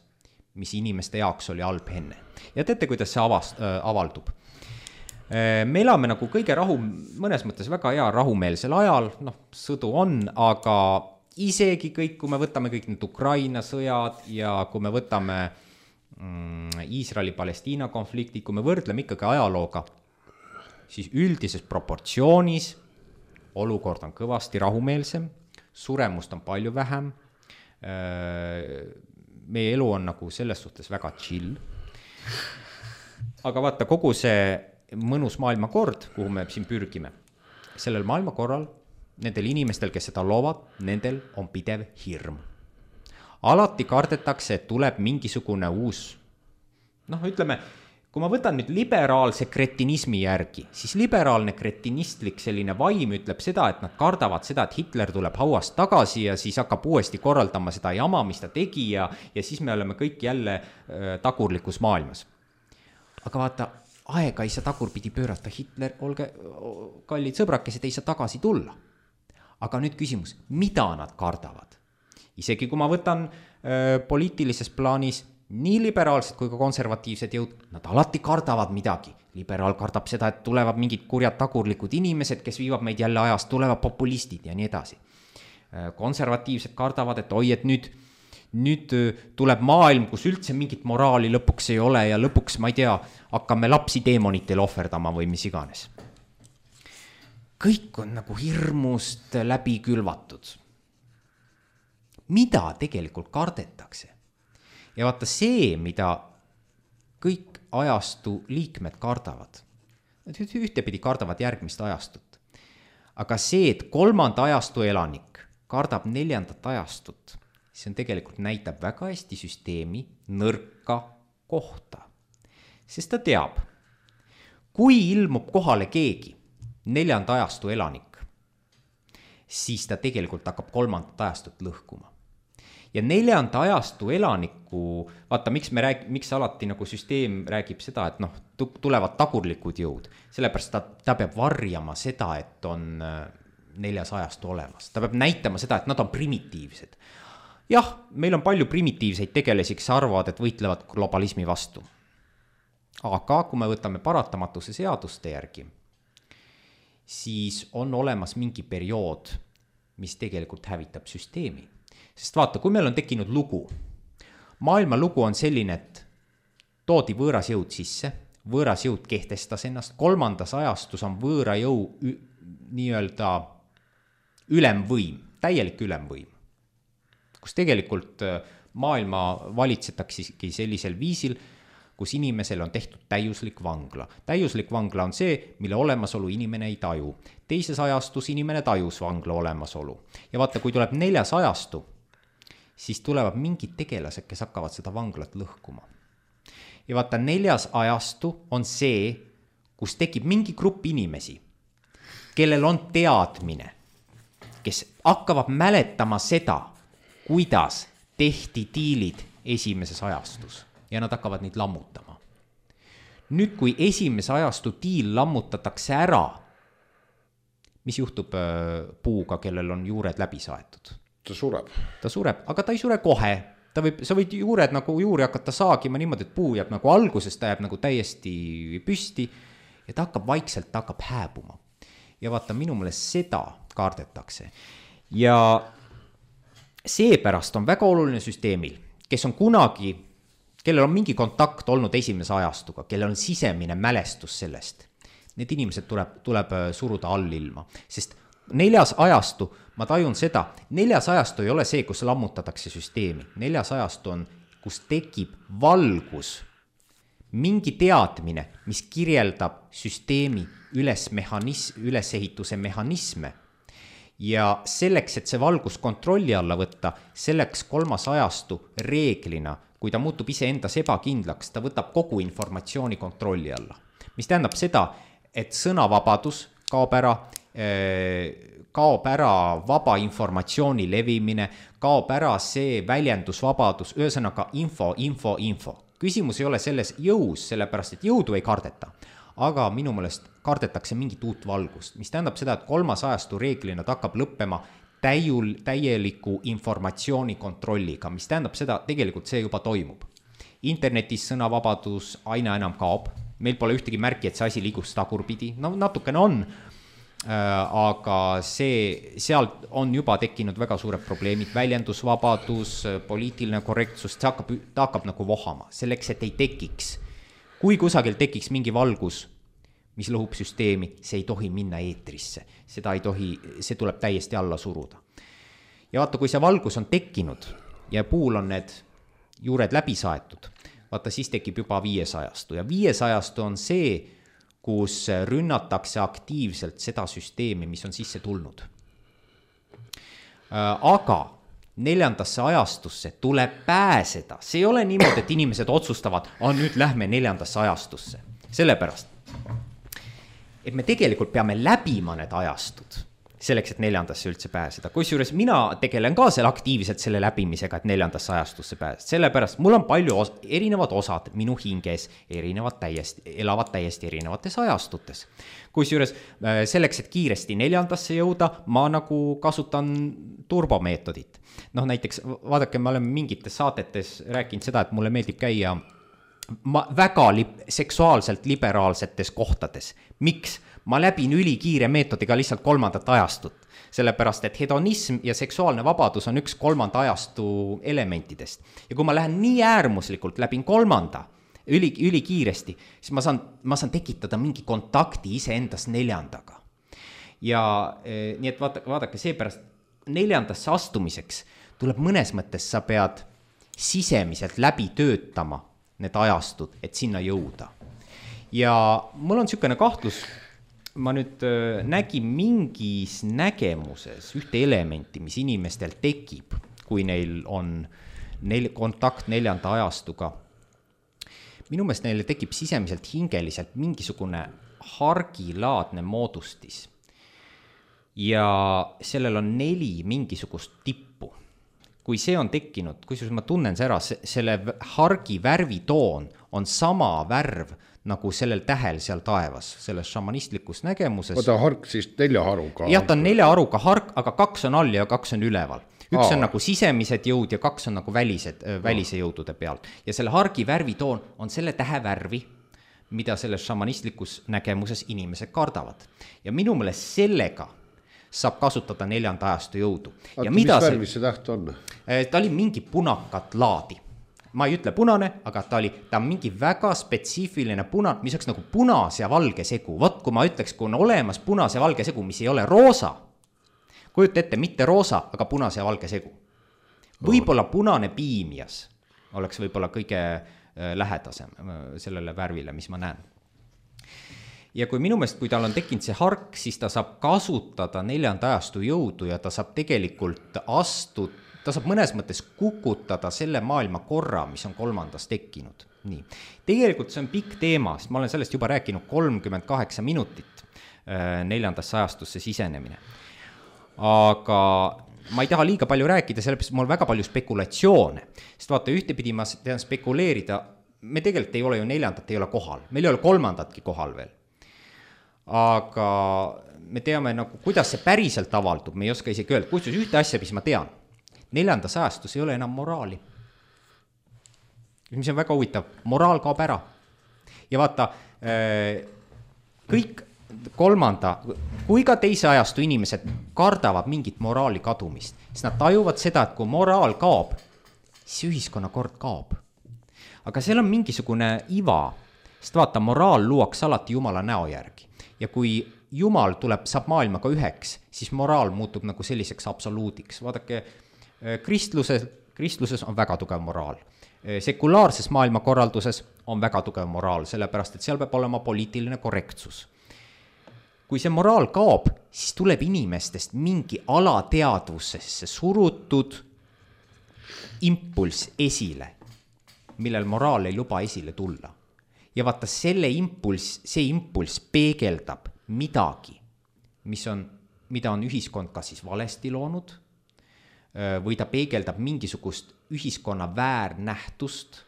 mis inimeste jaoks oli halb enne. Ja teate, kuidas see avast, äh, avaldub. Me elame nagu kõige rahu, mõnes mõttes väga hea rahumeelsel ajal, noh, sõdu on, aga isegi kõik, kui me võtame kõik need Ukraina sõjad ja kui me võtame mm, Iisraeli-Palestiina konflikti, kui me võrdleme ikkagi ajalooga, siis üldises proportsioonis olukord on kõvasti rahumeelsem, suremust on palju vähem, meie elu on nagu selles suhtes väga chill. Aga vaata, kogu see mõnus maailmakord, kuhu me siin pürgime, sellel maailmakorral, nendel inimestel, kes seda loovad, nendel on pidev hirm. Alati kardetakse, et tuleb mingisugune uus, noh, ütleme, kui ma võtan nüüd liberaalse kretinismi järgi, siis liberaalne kretinistlik selline vaim ütleb seda, et nad kardavad seda, et Hitler tuleb hauast tagasi ja siis hakkab uuesti korraldama seda jama, mis ta tegi ja, ja siis me oleme kõik jälle äh, tagurlikus maailmas. Aga vaata, aega ei saa tagurpidi pöörata, Hitler, olge kallid sõbrakesed, ei saa tagasi tulla. Aga nüüd küsimus, mida nad kardavad? Isegi kui ma võtan äh, poliitilises plaanis nii liberaalsed kui ka konservatiivsed jõud, nad alati kardavad midagi. Liberaal kardab seda, et tulevad mingid kurjad tagurlikud inimesed, kes viivad meid jälle ajast, tulevad populistid ja nii edasi. Äh, konservatiivsed kardavad, et oi, et nüüd nüüd tuleb maailm, kus üldse mingit moraali lõpuks ei ole ja lõpuks, ma ei tea, hakkame lapsi deemonitele ohverdama või mis iganes. Kõik on nagu hirmust läbi külvatud. Mida tegelikult kardetakse? Ja vaata see, mida kõik ajastu liikmed kardavad. Nad ühtepidi kardavad järgmist ajastut. Aga see, et kolmanda ajastu elanik kardab neljandat ajastut, see on tegelikult näitab väga hästi süsteemi nõrka kohta. Sest ta teab, kui ilmub kohale keegi, neljanda ajastu elanik, siis ta tegelikult hakkab kolmandat ajastut lõhkuma. Ja neljanda ajastu elaniku, vaata, miks, me rääg, miks alati nagu süsteem räägib seda, et noh, tulevad tagurlikud jõud, sellepärast ta, ta peab varjama seda, et on neljas ajastu olemas. Ta peab näitama seda, et nad on primitiivsed. Jah, meil on palju primitiivseid tegelesi, kes arvavad, et võitlevad globalismi vastu. Aga kui me võtame paratamatuse seaduste järgi, siis on olemas mingi periood, mis tegelikult hävitab süsteemi. Sest vaata, kui meil on tekkinud lugu, maailma lugu on selline, et toodi võõras jõud sisse, võõras jõud kehtestas ennast, kolmandas ajastus on võõra jõu nii-öelda ülemvõim, täielik ülemvõim, kus tegelikult maailma valitsetaksegi sellisel viisil, kus inimesel on tehtud täiuslik vangla. Täiuslik vangla on see, mille olemasolu inimene ei taju. Teises ajastus inimene tajus vangla olemasolu. Ja vaata, kui tuleb neljas ajastu, siis tulevad mingid tegelased, kes hakkavad seda vanglat lõhkuma. Ja vaata, neljas ajastu on see, kus tekib mingi grupp inimesi, kellel on teadmine, kes hakkavad mäletama seda, kuidas tehti diilid esimeses ajastus ja nad hakkavad neid lammutama. Nüüd, kui esimese ajastu diil lammutatakse ära, mis juhtub puuga, kellel on juured läbi saetud? Ta sureb. Ta sureb, aga ta ei sure kohe. Ta võib, sa võid juured nagu juuri hakata saagima niimoodi, et puu jääb nagu alguses, ta jääb nagu täiesti püsti ja ta hakkab vaikselt, ta hakkab hääbuma. Ja vaata, minu meelest seda kardetakse. Ja seepärast on väga oluline süsteemil, kes on kunagi, kellel on mingi kontakt olnud esimese ajastuga, kellel on sisemine mälestus sellest. Need inimesed tuleb, tuleb suruda allilma, sest neljas ajastu, ma tajun seda, neljas ajastu ei ole see, kus lammutatakse süsteemi. Neljas ajastu on, kus tekib valgus, mingi teadmine, mis kirjeldab süsteemi üles mehanis, ülesehituse mehhanisme. ja selleks, et see valgus kontrolli alla võtta, selleks kolmas ajastu reeglina, kui ta muutub iseendas ebakindlaks, ta võtab kogu informatsiooni kontrolli alla. Mis tähendab seda, et sõnavabadus kaob ära, kaob ära vaba informatsiooni levimine, kaob ära see väljendusvabadus, ühesõnaga info, info, info. Küsimus ei ole selles jõus, sellepärast et jõudu ei kardeta, aga minu meelest kardetakse mingit uut valgust, mis tähendab seda, et kolmas ajastu reeglina ta hakkab lõppema täiul, täieliku informatsiooni kontrolliga, mis tähendab seda, tegelikult see juba toimub. Internetis sõnavabadus aina enam kaob, meil pole ühtegi märki, et see asi liigus tagurpidi, no natukene on, aga see, sealt on juba tekkinud väga suured probleemid, väljendusvabadus, poliitiline korrektsus, see hakkab, ta hakkab nagu vohama, selleks, et ei tekiks. Kui kusagil tekiks mingi valgus, mis lõhub süsteemi, see ei tohi minna eetrisse, seda ei tohi, see tuleb täiesti alla suruda. Ja vaata, kui see valgus on tekkinud ja puul on need juured läbi saetud, vaata, siis tekib juba viiesajastu ja viiesajastu on see, kus rünnatakse aktiivselt seda süsteemi, mis on sisse tulnud. Aga neljandasse ajastusse tuleb pääseda. See ei ole niimoodi, et inimesed otsustavad, on nüüd lähme neljandasse ajastusse. Sellepärast, et me tegelikult peame läbima need ajastud, selleks, et neljandasse üldse pääseda. Kusjuures mina tegelen ka seal aktiivselt selle läbimisega, et neljandasse ajastusse pääseda. Sellepärast mul on palju os- erinevad osad minu hinges, erinevad täiesti, elavad täiesti erinevates ajastutes. Kusjuures selleks, et kiiresti neljandasse jõuda, ma nagu kasutan turbomeetodit. Noh, näiteks, vaadake, me oleme mingites saatetes rääkinud seda, et mulle meeldib käia ma väga li- seksuaalselt liberaalsetes kohtades. Miks? Ma läbin ülikiire meetodiga lihtsalt kolmandat ajastut, sellepärast et hedonism ja seksuaalne vabadus on üks kolmanda ajastu elementidest. Ja kui ma lähen nii äärmuslikult läbin kolmanda, üli, ülikiiresti, siis ma saan, ma saan tekitada mingi kontakti iseendas neljandaga. Ja eh, nii et vaadake, vaadake seepärast neljandasse astumiseks tuleb mõnes mõttes, sa pead sisemiselt läbi töötama need ajastud, et sinna jõuda. Ja mul on niisugune kahtlus, ma nüüd nägin mingis nägemuses ühte elementi, mis inimestel tekib, kui neil on neil kontakt neljanda ajastuga. Minu meelest neile tekib sisemiselt hingeliselt mingisugune hargilaadne moodustis. Ja sellel on neli mingisugust tippu. Kui see on tekkinud, kusjuures ma tunnen see ära, selle hargi värvitoon on sama värv nagu sellel tähel seal taevas, selles šamanistlikus nägemuses. Oda hark siis nelja haruga. Jah, ta on nelja haruga hark, aga kaks on all ja kaks on üleval. Üks Aa. on nagu sisemised jõud ja kaks on nagu välised, välise jõudude peal. Ja selle hargi värvitoon on selle tähe värvi, mida selles šamanistlikus nägemuses inimesed kardavad. Ja minu meelest sellega saab kasutada neljanda ajastu jõudu. Aga ja mis mida värvis see täht on? Ta oli mingi punakat laadi. Ma ei ütle punane, aga ta oli, ta on mingi väga spetsiifiline punane, mis oleks nagu punas ja valge segu. Vot kui ma ütleks, kui on olemas punas ja valge segu, mis ei ole roosa, kujuta ette, mitte roosa, aga punas ja valge segu. Võib-olla punane piimias oleks võib-olla kõige lähedasem sellele värvile, mis ma näen. Ja kui minu meelest, kui tal on tekkinud see hark, siis ta saab kasutada neljanda ajastu jõudu ja ta saab tegelikult astud, ta saab mõnes mõttes kukutada selle maailma korra, mis on kolmandas tekkinud. Nii. Tegelikult see on pikk teema, sest ma olen sellest juba rääkinud kolmkümmend kaheksa minutit neljandasse ajastusse sisenemine. Aga ma ei taha liiga palju rääkida, sellepärast mul on väga palju spekulatsioone. Sest vaata, ühtepidi ma tean spekuleerida, me tegelikult ei ole ju neljandat, ei ole kohal. Meil ei ole kolmandatki kohal veel. Aga me teame, nagu, kuidas see päriselt avaldub, me ei oska isegi öelda. Kusjuures ühte asja, mis ma tean, neljandas ajastus ei ole enam moraali. Mis on väga huvitav, moraal kaob ära. Ja vaata, kõik kolmanda, kui ka teise ajastu inimesed kardavad mingit moraali kadumist, siis nad tajuvad seda, et kui moraal kaob, siis ühiskonna kord kaob. Aga seal on mingisugune iva, sest vaata, moraal luuakse alati Jumala näo järgi. Ja kui Jumal tuleb, saab maailmaga üheks, siis moraal muutub nagu selliseks absoluudiks. Vaadake, kristluses, kristluses on väga tugev moraal. Sekulaarses maailmakorralduses on väga tugev moraal, sellepärast, et seal peab olema poliitiline korrektsus. kui see moraal kaob, siis tuleb inimestest mingi alateadvusesse surutud impulss esile, millel moraal ei luba esile tulla. Ja vaata, selle impulss, see impulss peegeldab midagi, mis on, mida on ühiskond kas siis valesti loonud, või ta peegeldab mingisugust ühiskonna väärnähtust.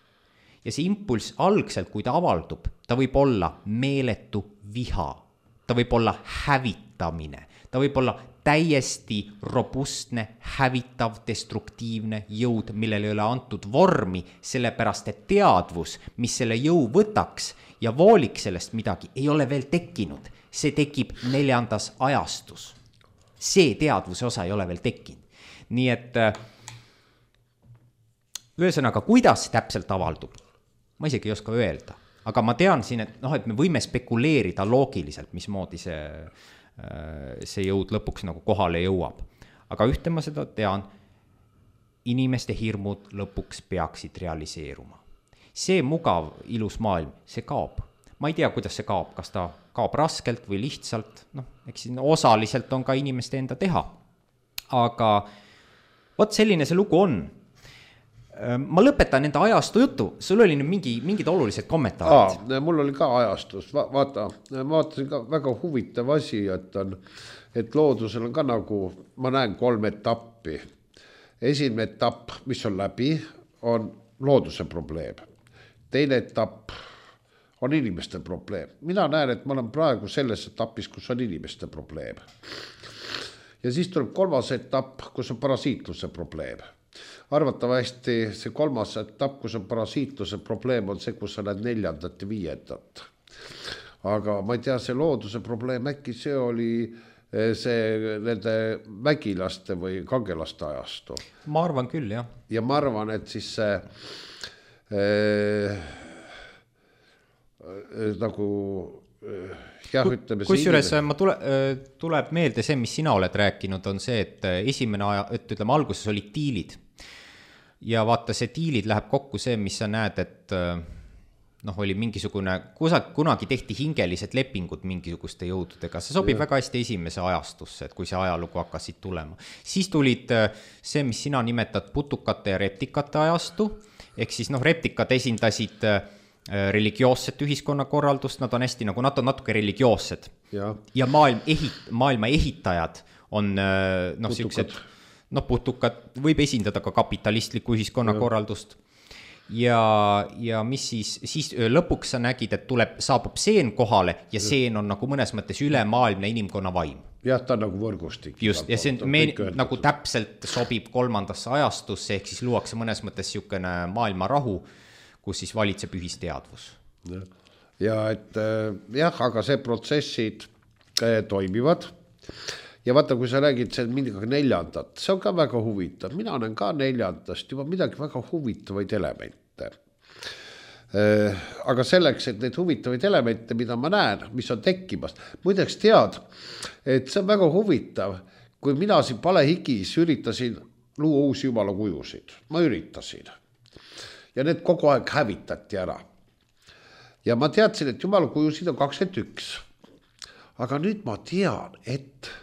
Ja see impulss algselt, kui ta avaldub, ta võib olla meeletu viha, ta võib olla hävitamine, ta võib olla täiesti robustne, hävitav, destruktiivne jõud, millele ei ole antud vormi, sellepärast et teadvus, mis selle jõu võtaks ja vooliks sellest midagi, ei ole veel tekkinud. See tekib neljandas ajastus. See teadvuse osa ei ole veel tekkinud. Nii et ühesõnaga, kuidas täpselt avaldub? Ma isegi ei oska öelda, aga ma tean siin, et, noh, et me võime spekuleerida loogiliselt, mismoodi see, see jõud lõpuks nagu kohale jõuab. Aga ühte ma seda tean, inimeste hirmud lõpuks peaksid realiseeruma. See mugav, ilus maailm, see kaob. Ma ei tea, kuidas see kaob, kas ta kaob raskelt või lihtsalt, noh, eks osaliselt on ka inimeste enda teha. Aga vot selline see lugu on. Ma lõpetan enda ajastu jutu, sul oli nüüd mingi, mingid olulised kommentaarid. Aa, mul oli ka ajastus, Va, vaata, ma vaatasin ka väga huvitav asi, et, on, et loodusel on ka nagu, ma näen kolm etappi. Esimene etapp, mis on läbi, on looduse probleem. Teine etapp on inimeste probleem. Mina näen, et ma olen praegu selles etapis, kus on inimeste probleem. Ja siis tuleb kolmas etapp, kus on parasiitluse probleem. Arvatavasti see kolmas etapp, kus on parasiitluse probleem, on see, kus sa näed neljandat ja viiendat. Aga ma ei tea, see looduse probleem, äkki see oli see nende vägilaste või kangelaste ajastu. Ma arvan küll, jah. Ja ma arvan, et siis see äh, äh, nagu jah, ütleme kus juures ma tule, tuleb meelde see, mis sina oled rääkinud, on see, et esimene aja, et ütleme, alguses olid diilid. Ja vaata, see diilid läheb kokku see, mis sa näed, et noh, oli mingisugune, kunagi tehti hingelised lepingud mingisuguste jõududega. See sobib ja. Väga hästi esimese ajastusse, et kui see ajalugu hakkasid tulema. Siis tulid see, mis sina nimetad putukate ja reptikate ajastu, ehk siis noh, reptikad esindasid religioosset ühiskonnakorraldust, nad on hästi nagu, nad on natuke religioossed. Ja, ja maailm ehit, maailma ehitajad on noh, siuksed noh, putukad võib esindada ka kapitalistlikku ühiskonnakorraldust. Ja, ja mis siis, siis lõpuks sa nägid, et tuleb, saabub seen kohale ja seen on nagu mõnes mõttes ülemaailmne inimkonna vaim. Jah, ta on nagu võrgustik. Just, ja see me, nagu täpselt sobib kolmandasse ajastusse, ehk siis luuakse mõnes mõttes siukene maailma rahu, kus siis valitseb ühisteadvus. Ja, ja et jah, aga see protsessid toimivad. Ja vaata, kui sa räägid see midagi neljandat, see on ka väga huvitav. Mina olen ka neljandast juba midagi väga huvitavaid elemente. Aga selleks, et neid huvitavaid elemente, mida ma näen, mis on tekkimas, muideks tead, et see on väga huvitav, kui mina siin palehigis üritasin luua uusi jumala kujusid. Ma üritasin. Ja need kogu aeg hävitati ära. Ja ma teadsin, et jumala kujusid on kakskümmend üks. Aga nüüd ma tean, et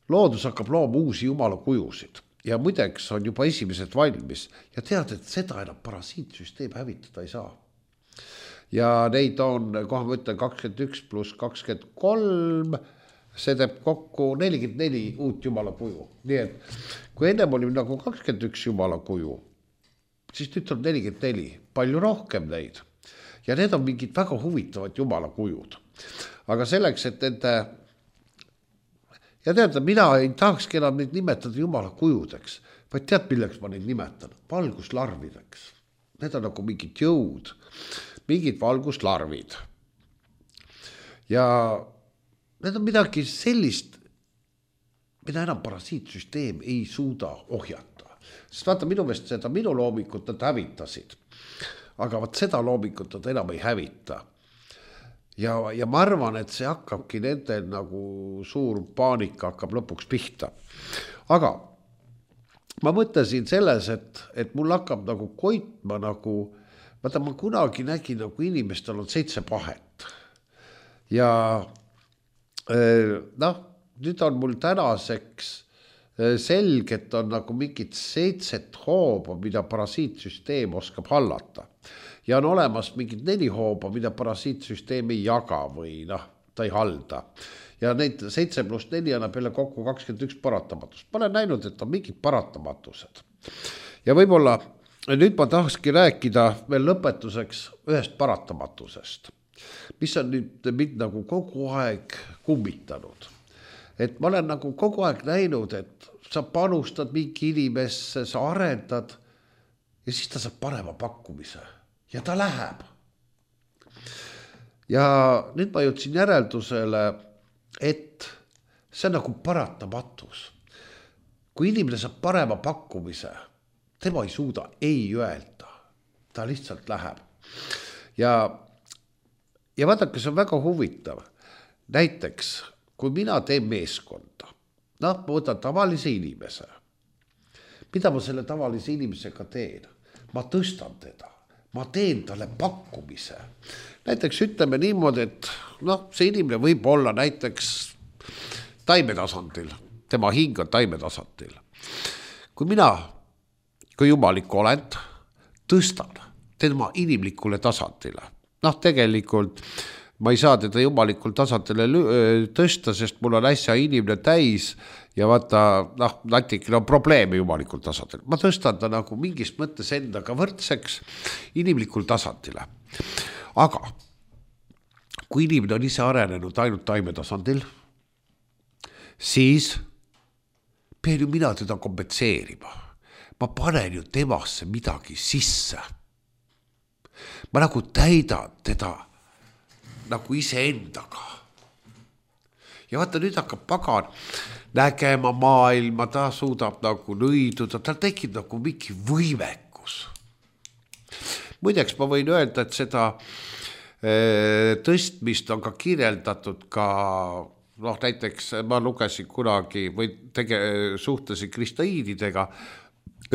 loodus hakkab looma uusi jumala kujusid ja muideks on juba esimesed valmis ja tead, et seda enam parasiitsüsteem hävitada ei saa. Ja neid on, kohe ma ütlen, kakskümmend üks pluss kakskümmend kolm, see teeb kokku nelikümmend neli uut jumala kuju. Nii et kui ennem oli nagu kakskümmend üks jumala kuju, siis nüüd on nelikümmend neli, palju rohkem neid. Ja need on mingid väga huvitavad jumala kujud. Aga selleks, et nende ja tead, mina ei tahakski enam neid nimetada jumala kujudeks, vaid tead, milleks ma neid nimetan? Valguslarvideks. Need on nagu mingid jõud, mingid valguslarvid. Ja need on midagi sellist, mida enam parasiitsüsteem ei suuda ohjata. Sest vaata, minu meelest seda minu loomikut nad hävitasid. Aga vaat seda loomikut nad enam ei hävita. Ja, ja ma arvan, et see hakkabki nendel nagu suur paanika hakkab lõpuks pihta. Aga ma mõtlesin selles, et, et mul hakkab nagu koitma nagu, vaata ma kunagi nägin nagu inimestel on seitse pahet. Ja noh, nüüd on mul tänaseks selge, et on nagu mingid seitset hooba, mida parasiitsüsteem oskab hallata. Ja on olemas mingid neli hooba, mida parasiitsüsteem ei jaga või noh, ta ei halda. Ja neid seitse pluss neli annab jälle kokku kakskümmend üks paratamatust. Ma olen näinud, et on mingid paratamatused. Ja võib-olla nüüd ma tahakski rääkida veel lõpetuseks ühest paratamatusest, mis on nüüd mind nagu kogu aeg kummitanud. Et ma olen nagu kogu aeg näinud, et sa panustad mingi inimesse, sa arendad ja siis ta saab parema pakkumise ja ta läheb. Ja nüüd ma jõudsin järeldusele, et see on nagu paratamatus. Kui inimene saab parema pakkumise, tema ei suuda ei öelda, ta lihtsalt läheb. Ja, ja vaadake, see on väga huvitav. Näiteks, kui mina teen meeskonda, noh, ma võtan tavalise inimese. Mida ma selle tavalise inimesega teen? Ma tõstan teda, ma teen talle pakkumise. Näiteks ütleme niimoodi, et noh, see inimene võib olla näiteks taimetasandil, tema hing on taimetasandil. Kui mina, kui jumalik olend, tõstan tema inimlikule tasandile, noh, tegelikult ma ei saa teda jumalikul tasandile tõsta, sest mul on äsja inimene täis ja vaata, noh, natikil on probleeme jumalikul tasandil. Ma tõstan ta nagu mingis mõttes endaga võrdseks inimlikul tasandile. Aga kui inimene on ise arenenud ainult taime tasandil, siis pean ju mina teda kompenseerima. Ma panen ju temasse midagi sisse. Ma nagu täidan teda nagu ise endaga. Ja vaata, nüüd hakkab pagan nägema maailma, ta suudab nagu nõiduda, tal tekib nagu mingi võimekus. Muideks ma võin öelda, et seda e, tõstmist on ka kirjeldatud ka, noh, näiteks ma lugesin kunagi või tege, suhtlesin kristaiididega,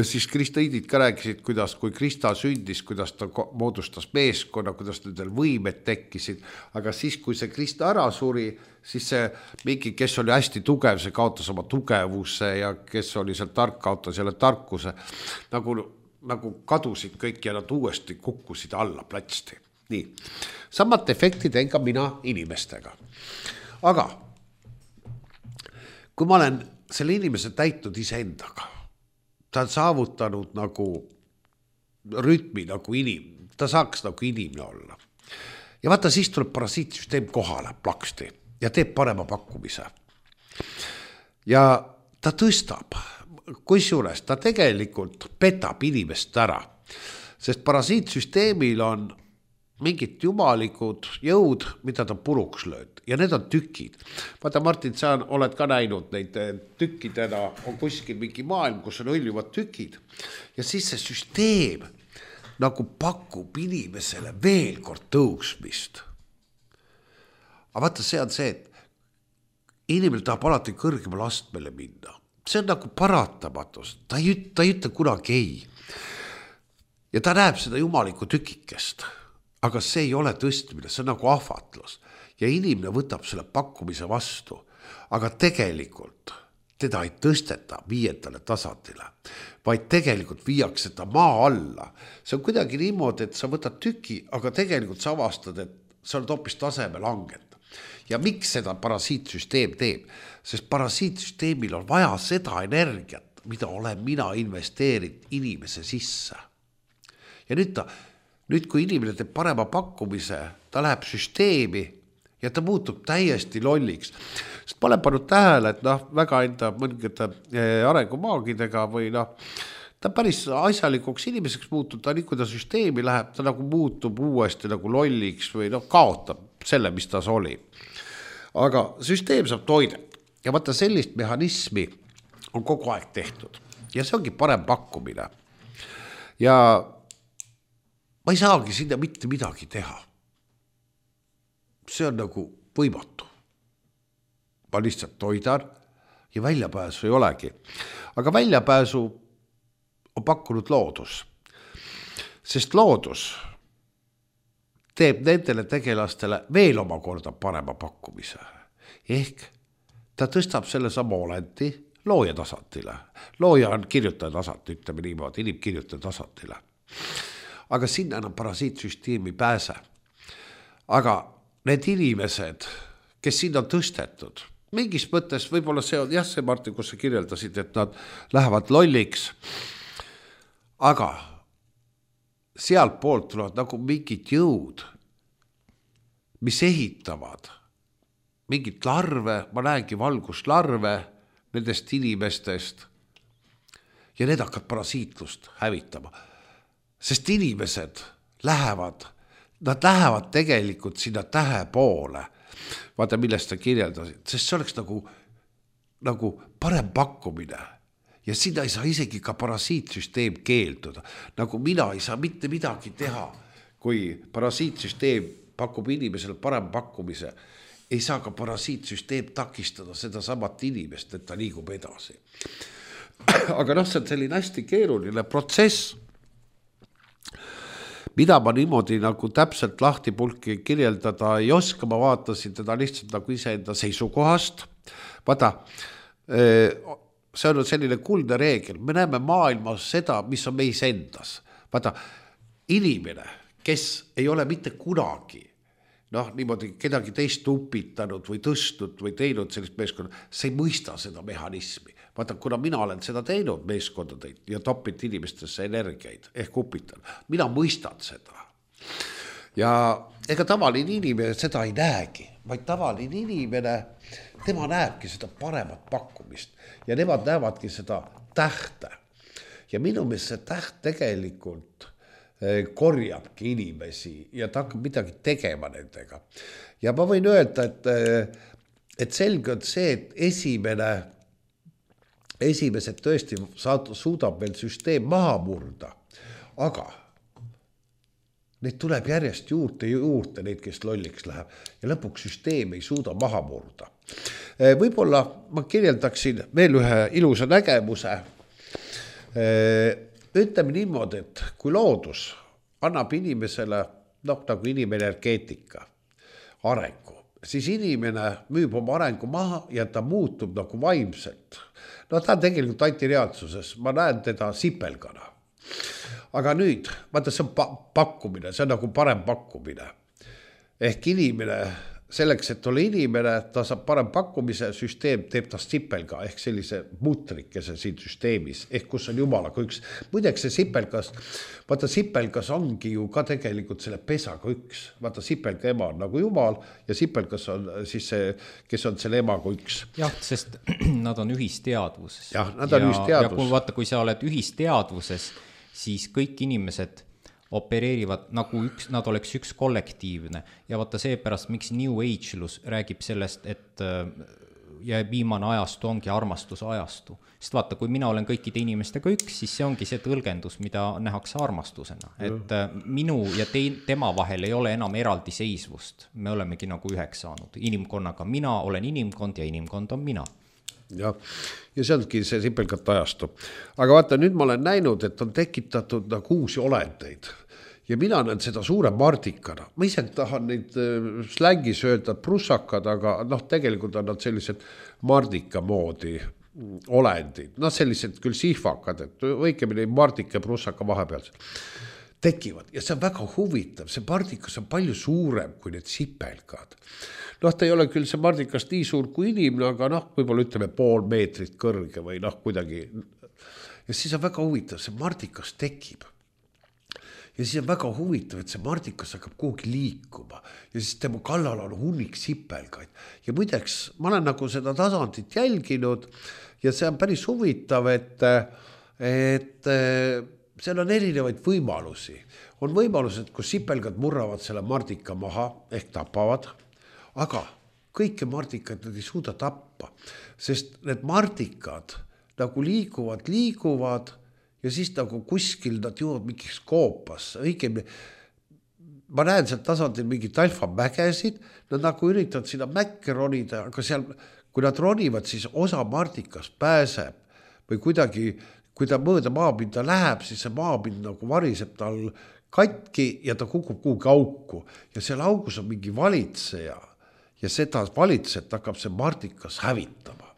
siis kristaiidid ka rääkisid, kuidas kui Krista sündis, kuidas ta moodustas meeskonna, kuidas nendel võimed tekkisid, aga siis, kui see Krista ära suri, siis see mingi, kes oli hästi tugev, see kaotas oma tugevuse ja kes oli seal tark, kaotas jälle tarkuse, nagu, nagu kadusid kõik ja nad uuesti kukkusid alla platsti. Nii, samad efektid teen ka mina inimestega. Aga kui ma olen selle inimese täitnud ise endaga, ta on saavutanud nagu rütmi nagu inim, ta saaks nagu inimene olla. Ja vaata, siis tuleb parasiitsüsteem kohale plaksti ja teeb parema pakkumise. Ja ta tõstab, kusjuures ta tegelikult petab inimest ära, sest parasiitsüsteemil on mingid jumalikud jõud, mida ta puruks lööd ja need on tükid. Vaata, Martin, sa oled ka näinud neid tükkidena, on kuskil mingi maailm, kus on hõljuvad tükid ja siis see süsteem nagu pakub inimesele veel kord tõusmist. Aga vaata, see on see, et inimene tahab alati kõrgemale astmele minna. See on nagu paratamatus, ta ei, ta ei ütle kunagi ei. Ja ta näeb seda jumaliku tükikest. Aga see ei ole tõstmine, see on nagu ahvatlus. Ja inimene võtab selle pakkumise vastu, aga tegelikult teda ei tõsteta viiendale tasandile, vaid tegelikult viiakse ta maa alla. See on kuidagi niimoodi, et sa võtad tüki, aga tegelikult sa avastad, et sa oled hoopis taseme langet. Ja miks seda parasiitsüsteem teeb? Sest parasiitsüsteemil on vaja seda energiat, mida olen mina investeerinud inimese sisse. Ja nüüd ta Nüüd, kui inimene teeb parema pakkumise, ta läheb süsteemi ja ta muutub täiesti lolliks. Sest ma olen pannud tähele, et noh, väga enda mõningate arengumaagidega või noh, ta päris asjalikuks inimeseks muutub, ta nii kui ta süsteemi läheb, ta nagu muutub uuesti nagu lolliks või noh, kaotab selle, mis tas oli. Aga süsteem saab toidet ja vaata, sellist mehhanismi on kogu aeg tehtud ja see ongi parem pakkumine. Ja ma ei saagi sinna mitte midagi teha. See on nagu võimatu. Ma lihtsalt toidan ja väljapääsu ei olegi. Aga väljapääsu on pakkunud loodus. Sest loodus teeb nendele tegelastele veel omakorda parema pakkumise. ehk ta tõstab selle sama olendi looja tasandile. Looja on kirjutaja tasand, ütleme niimoodi, inimkirjutaja tasandile. Aga sinna enam parasiitsüsteemi pääse. Aga need inimesed, kes sinna on tõstetud, mingis mõttes võib-olla see on, jah, see Martin, kus sa kirjeldasid, et nad lähevad lolliks, aga sealt poolt tulevad nagu mingid jõud, mis ehitavad mingit larve, ma näengi valguslarve nendest inimestest ja need hakkavad parasiitlust hävitama. Sest inimesed lähevad, nad lähevad tegelikult sinna tähe poole, vaata millest sa kirjeldasid, sest see oleks nagu, nagu parem pakkumine ja sinna ei saa isegi ka parasiitsüsteem keelduda, nagu mina ei saa mitte midagi teha, kui parasiitsüsteem pakub inimesele parem pakkumise, ei saa ka parasiitsüsteem takistada seda samat inimest, et ta liigub edasi. Aga noh, see on selline hästi keeruline protsess, mida ma niimoodi nagu täpselt lahtipulki kirjeldada ei oska, ma vaatasin teda lihtsalt nagu iseenda seisukohast. Vaata, see on selline kuldne reegel, me näeme maailmas seda, mis on meis endas. Vaata, inimene, kes ei ole mitte kunagi noh, niimoodi kedagi teist upitanud või tõstnud või teinud sellist meeskonda, see ei mõista seda mehhanismi. Vaata, kuna mina olen seda teinud meeskondadeid ja topit inimestesse energiaid ehk upitan, mina mõistan seda. Ja ega tavaline inimene seda ei näegi, vaid tavaline inimene, tema näebki seda paremat pakkumist ja nemad näevadki seda tähte. Ja minu meelest see täht tegelikult korjabki inimesi ja ta hakkab midagi tegema nendega. Ja ma võin öelda, et, et selge on see, et esimene, esimesed tõesti suudab veel süsteem maha murda, aga neid tuleb järjest juurde juurde, neid, kes lolliks läheb ja lõpuks süsteem ei suuda maha murda. Võib-olla ma kirjeldaksin veel ühe ilusa nägemuse. Ütleme niimoodi, et kui loodus annab inimesele, noh, nagu inimenergeetika, arengu, siis inimene müüb oma arengu maha ja ta muutub nagu vaimselt. No ta on tegelikult antireaalsuses, ma näen teda sipelgana. Aga nüüd, vaata, see on pakkumine, see on nagu parem pakkumine. Ehk inimene, selleks, et ole inimene, ta saab parem pakkumise, süsteem teeb ta sipelga, ehk sellise mutrikese siin süsteemis, ehk kus on jumalaga üks. Muideks see sipelgas, vaata sipelgas ongi ju ka tegelikult selle pesaga üks. Vaata sipelga ema on nagu jumal ja sipelgas on siis see, kes on selle emaga üks. Jah, sest nad on ühisteadvuses. Jah, nad on ühisteadvus. Ja kui, vaata, kui sa oled ühisteadvuses, siis kõik inimesed opereerivad nagu üks, nad oleks üks kollektiivne ja vaata seepärast, miks New Agelus räägib sellest, et ja viimane ajastu ongi armastuse ajastu. Sest vaata, kui mina olen kõikide inimestega üks, siis see ongi see tõlgendus, mida nähakse armastusena. Et minu ja te, tema vahel ei ole enam eraldi seisvust. Me olemegi nagu üheks saanud. Inimkonnaga mina olen inimkond ja inimkond on mina. Ja, ja see ongi see sipelgat ajastu. Aga vaata, nüüd ma olen näinud, et on tekitatud nagu uusi olendeid. Ja mina näen seda suure mardikana. Ma ise tahan neid slängis öelda prussakad, aga noh, tegelikult on nad sellised mardika moodi olendid. Noh, sellised küll sihvakad, et õigemini mardika ja prussaka vahepeal tekivad. Ja see on väga huvitav. See mardikas on palju suurem kui need sipelgad. Noh, ta ei ole küll see mardikas nii suur kui inimene, aga noh, võib-olla ütleme pool meetrit kõrge või noh, kuidagi. Ja siis on väga huvitav, see mardikas tekib. Ja siis on väga huvitav, et see mardikas hakkab kuhugi liikuma ja siis tema kallal on hunnik sipelgaid. Ja muideks, ma olen nagu seda tasandit jälginud ja see on päris huvitav, et, et seal on erinevaid võimalusi. On võimalused, kus sipelgad murravad selle mardika maha ehk tapavad, aga kõike mardikad nad ei suuda tappa, sest need mardikad nagu liiguvad, liiguvad ja siis nagu kuskil nad jõuavad mingiks koopasse. Õigemini, ma näen sealt tasandil mingit alfamägesid, nad nagu üritavad sinna mäkke ronida, aga seal, kui nad ronivad, siis osa mardikas pääseb või kuidagi, kui ta mõõda maapinda läheb, siis see maapind nagu variseb tal katki ja ta kukub kuhugi auku ja seal augus on mingi valitseja ja seda valitset hakkab see Mardikas hävitama.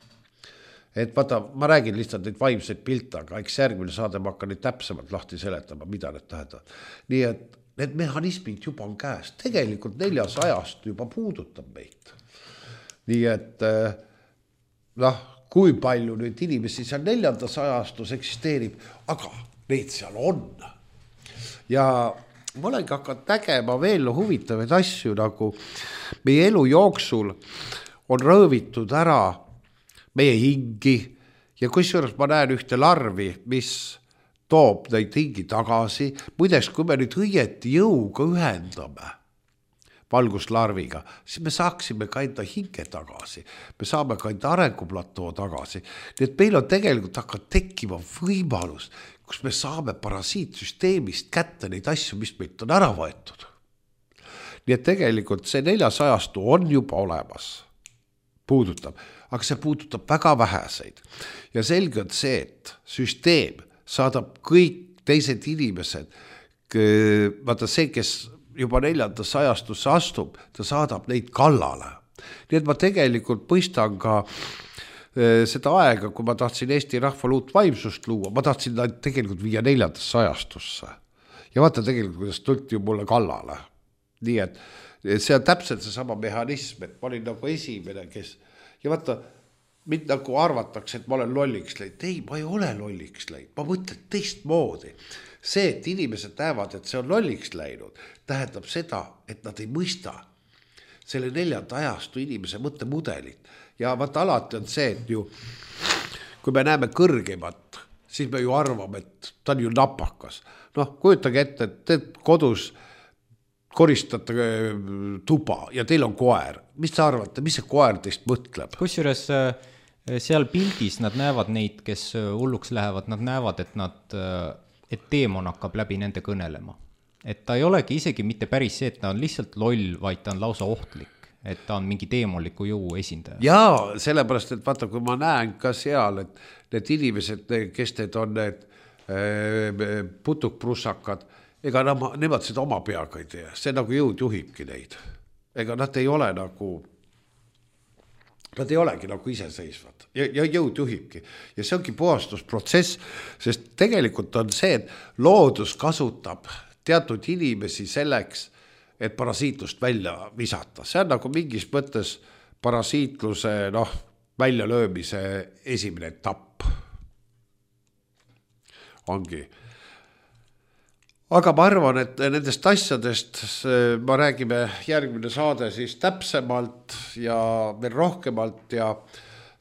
Et vaata, ma räägin lihtsalt neid vaimseid pilte, aga eks järgmine saade ma hakkan neid täpsemalt lahti seletama, mida need tähendavad. Nii et need mehhanismid juba on käes. Tegelikult neljas ajast juba puudutab meid. Nii et noh, kui palju nüüd inimesi seal neljandas ajastus eksisteerib, aga neid seal on. Ja ma olengi hakanud nägema veel huvitavaid asju, nagu meie elu jooksul on rõõvitud ära meie hingi ja kusjuures ma näen ühte larvi, mis toob neid hingi tagasi. Muideks, kui me nüüd õieti jõuga ühendame valguslarviga, siis me saaksime ka enda hinge tagasi. Me saame ka enda arenguplatoo tagasi. Nii et meil on tegelikult hakkab tekkima võimalus, kus me saame parasiitsüsteemist kätte neid asju, mis meilt on ära võetud. Nii et tegelikult see neljas ajastu on juba olemas. Puudutab. Aga see puudutab väga väheseid. Ja selge on see, et süsteem saadab kõik teised inimesed, vaata see, kes juba neljandas ajastusse astub, ta saadab neid kallale. Nii et ma tegelikult mõistan ka seda aega, kui ma tahtsin Eesti rahval uut vaimsust luua, ma tahtsin tegelikult viia neljandasse ajastusse. Ja vaata tegelikult, kuidas tulti ju mulle kallale. Nii et see on täpselt see sama mehhanism, et ma olin nagu esimene, kes ja vaata, mind nagu arvatakse, et ma olen lolliks läinud. Ei, ma ei ole lolliks läinud. Ma mõtlen teist moodi. See, et inimesed näevad, et see on lolliks läinud, tähendab seda, et nad ei mõista selle neljanda ajastu inimese mõttemudelit. Ja vaata alati on see, et ju, kui me näeme kõrgemat, siis me ju arvame, et ta on ju napakas. Noh, kujutage ette, et te kodus koristate tuba ja teil on koer. Mis te arvate, mis see koer teist mõtleb? Kusjuures seal pildis nad näevad neid, kes hulluks lähevad, nad näevad, et, nad, et teemon hakkab läbi nende kõnelema. Et ta ei olegi isegi mitte päris see, et ta on lihtsalt loll, vaid ta on lausa ohtlik, et ta on mingi teemoliku jõu esindaja. Jaa, sellepärast, et vaata, kui ma näen ka seal, et need inimesed, kes need on need putukprussakad, ega nemad seda oma peaga ei tee. See nagu jõud juhibki neid. Ega nad ei ole nagu, nad ei olegi nagu iseseisvad. Ja, ja jõud juhibki. Ja see ongi puhastusprotsess, sest tegelikult on see, et loodus kasutab teatud inimesi selleks, et parasiitlust välja visata. See on nagu mingis mõttes parasiitluse noh, väljalöömise esimene etapp. Ongi. Aga ma arvan, et nendest asjadest ma räägime järgmine saade siis täpsemalt ja veel rohkemalt ja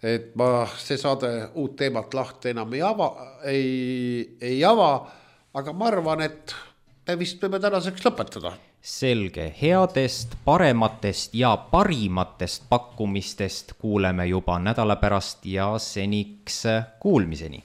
et ma see saade uut teemat lahti enam ei ava, ei, ei ava, aga ma arvan, et me vist võime tänaseks lõpetada. Selge, headest, parematest ja parimatest pakkumistest kuuleme juba nädala pärast ja seniks kuulmiseni.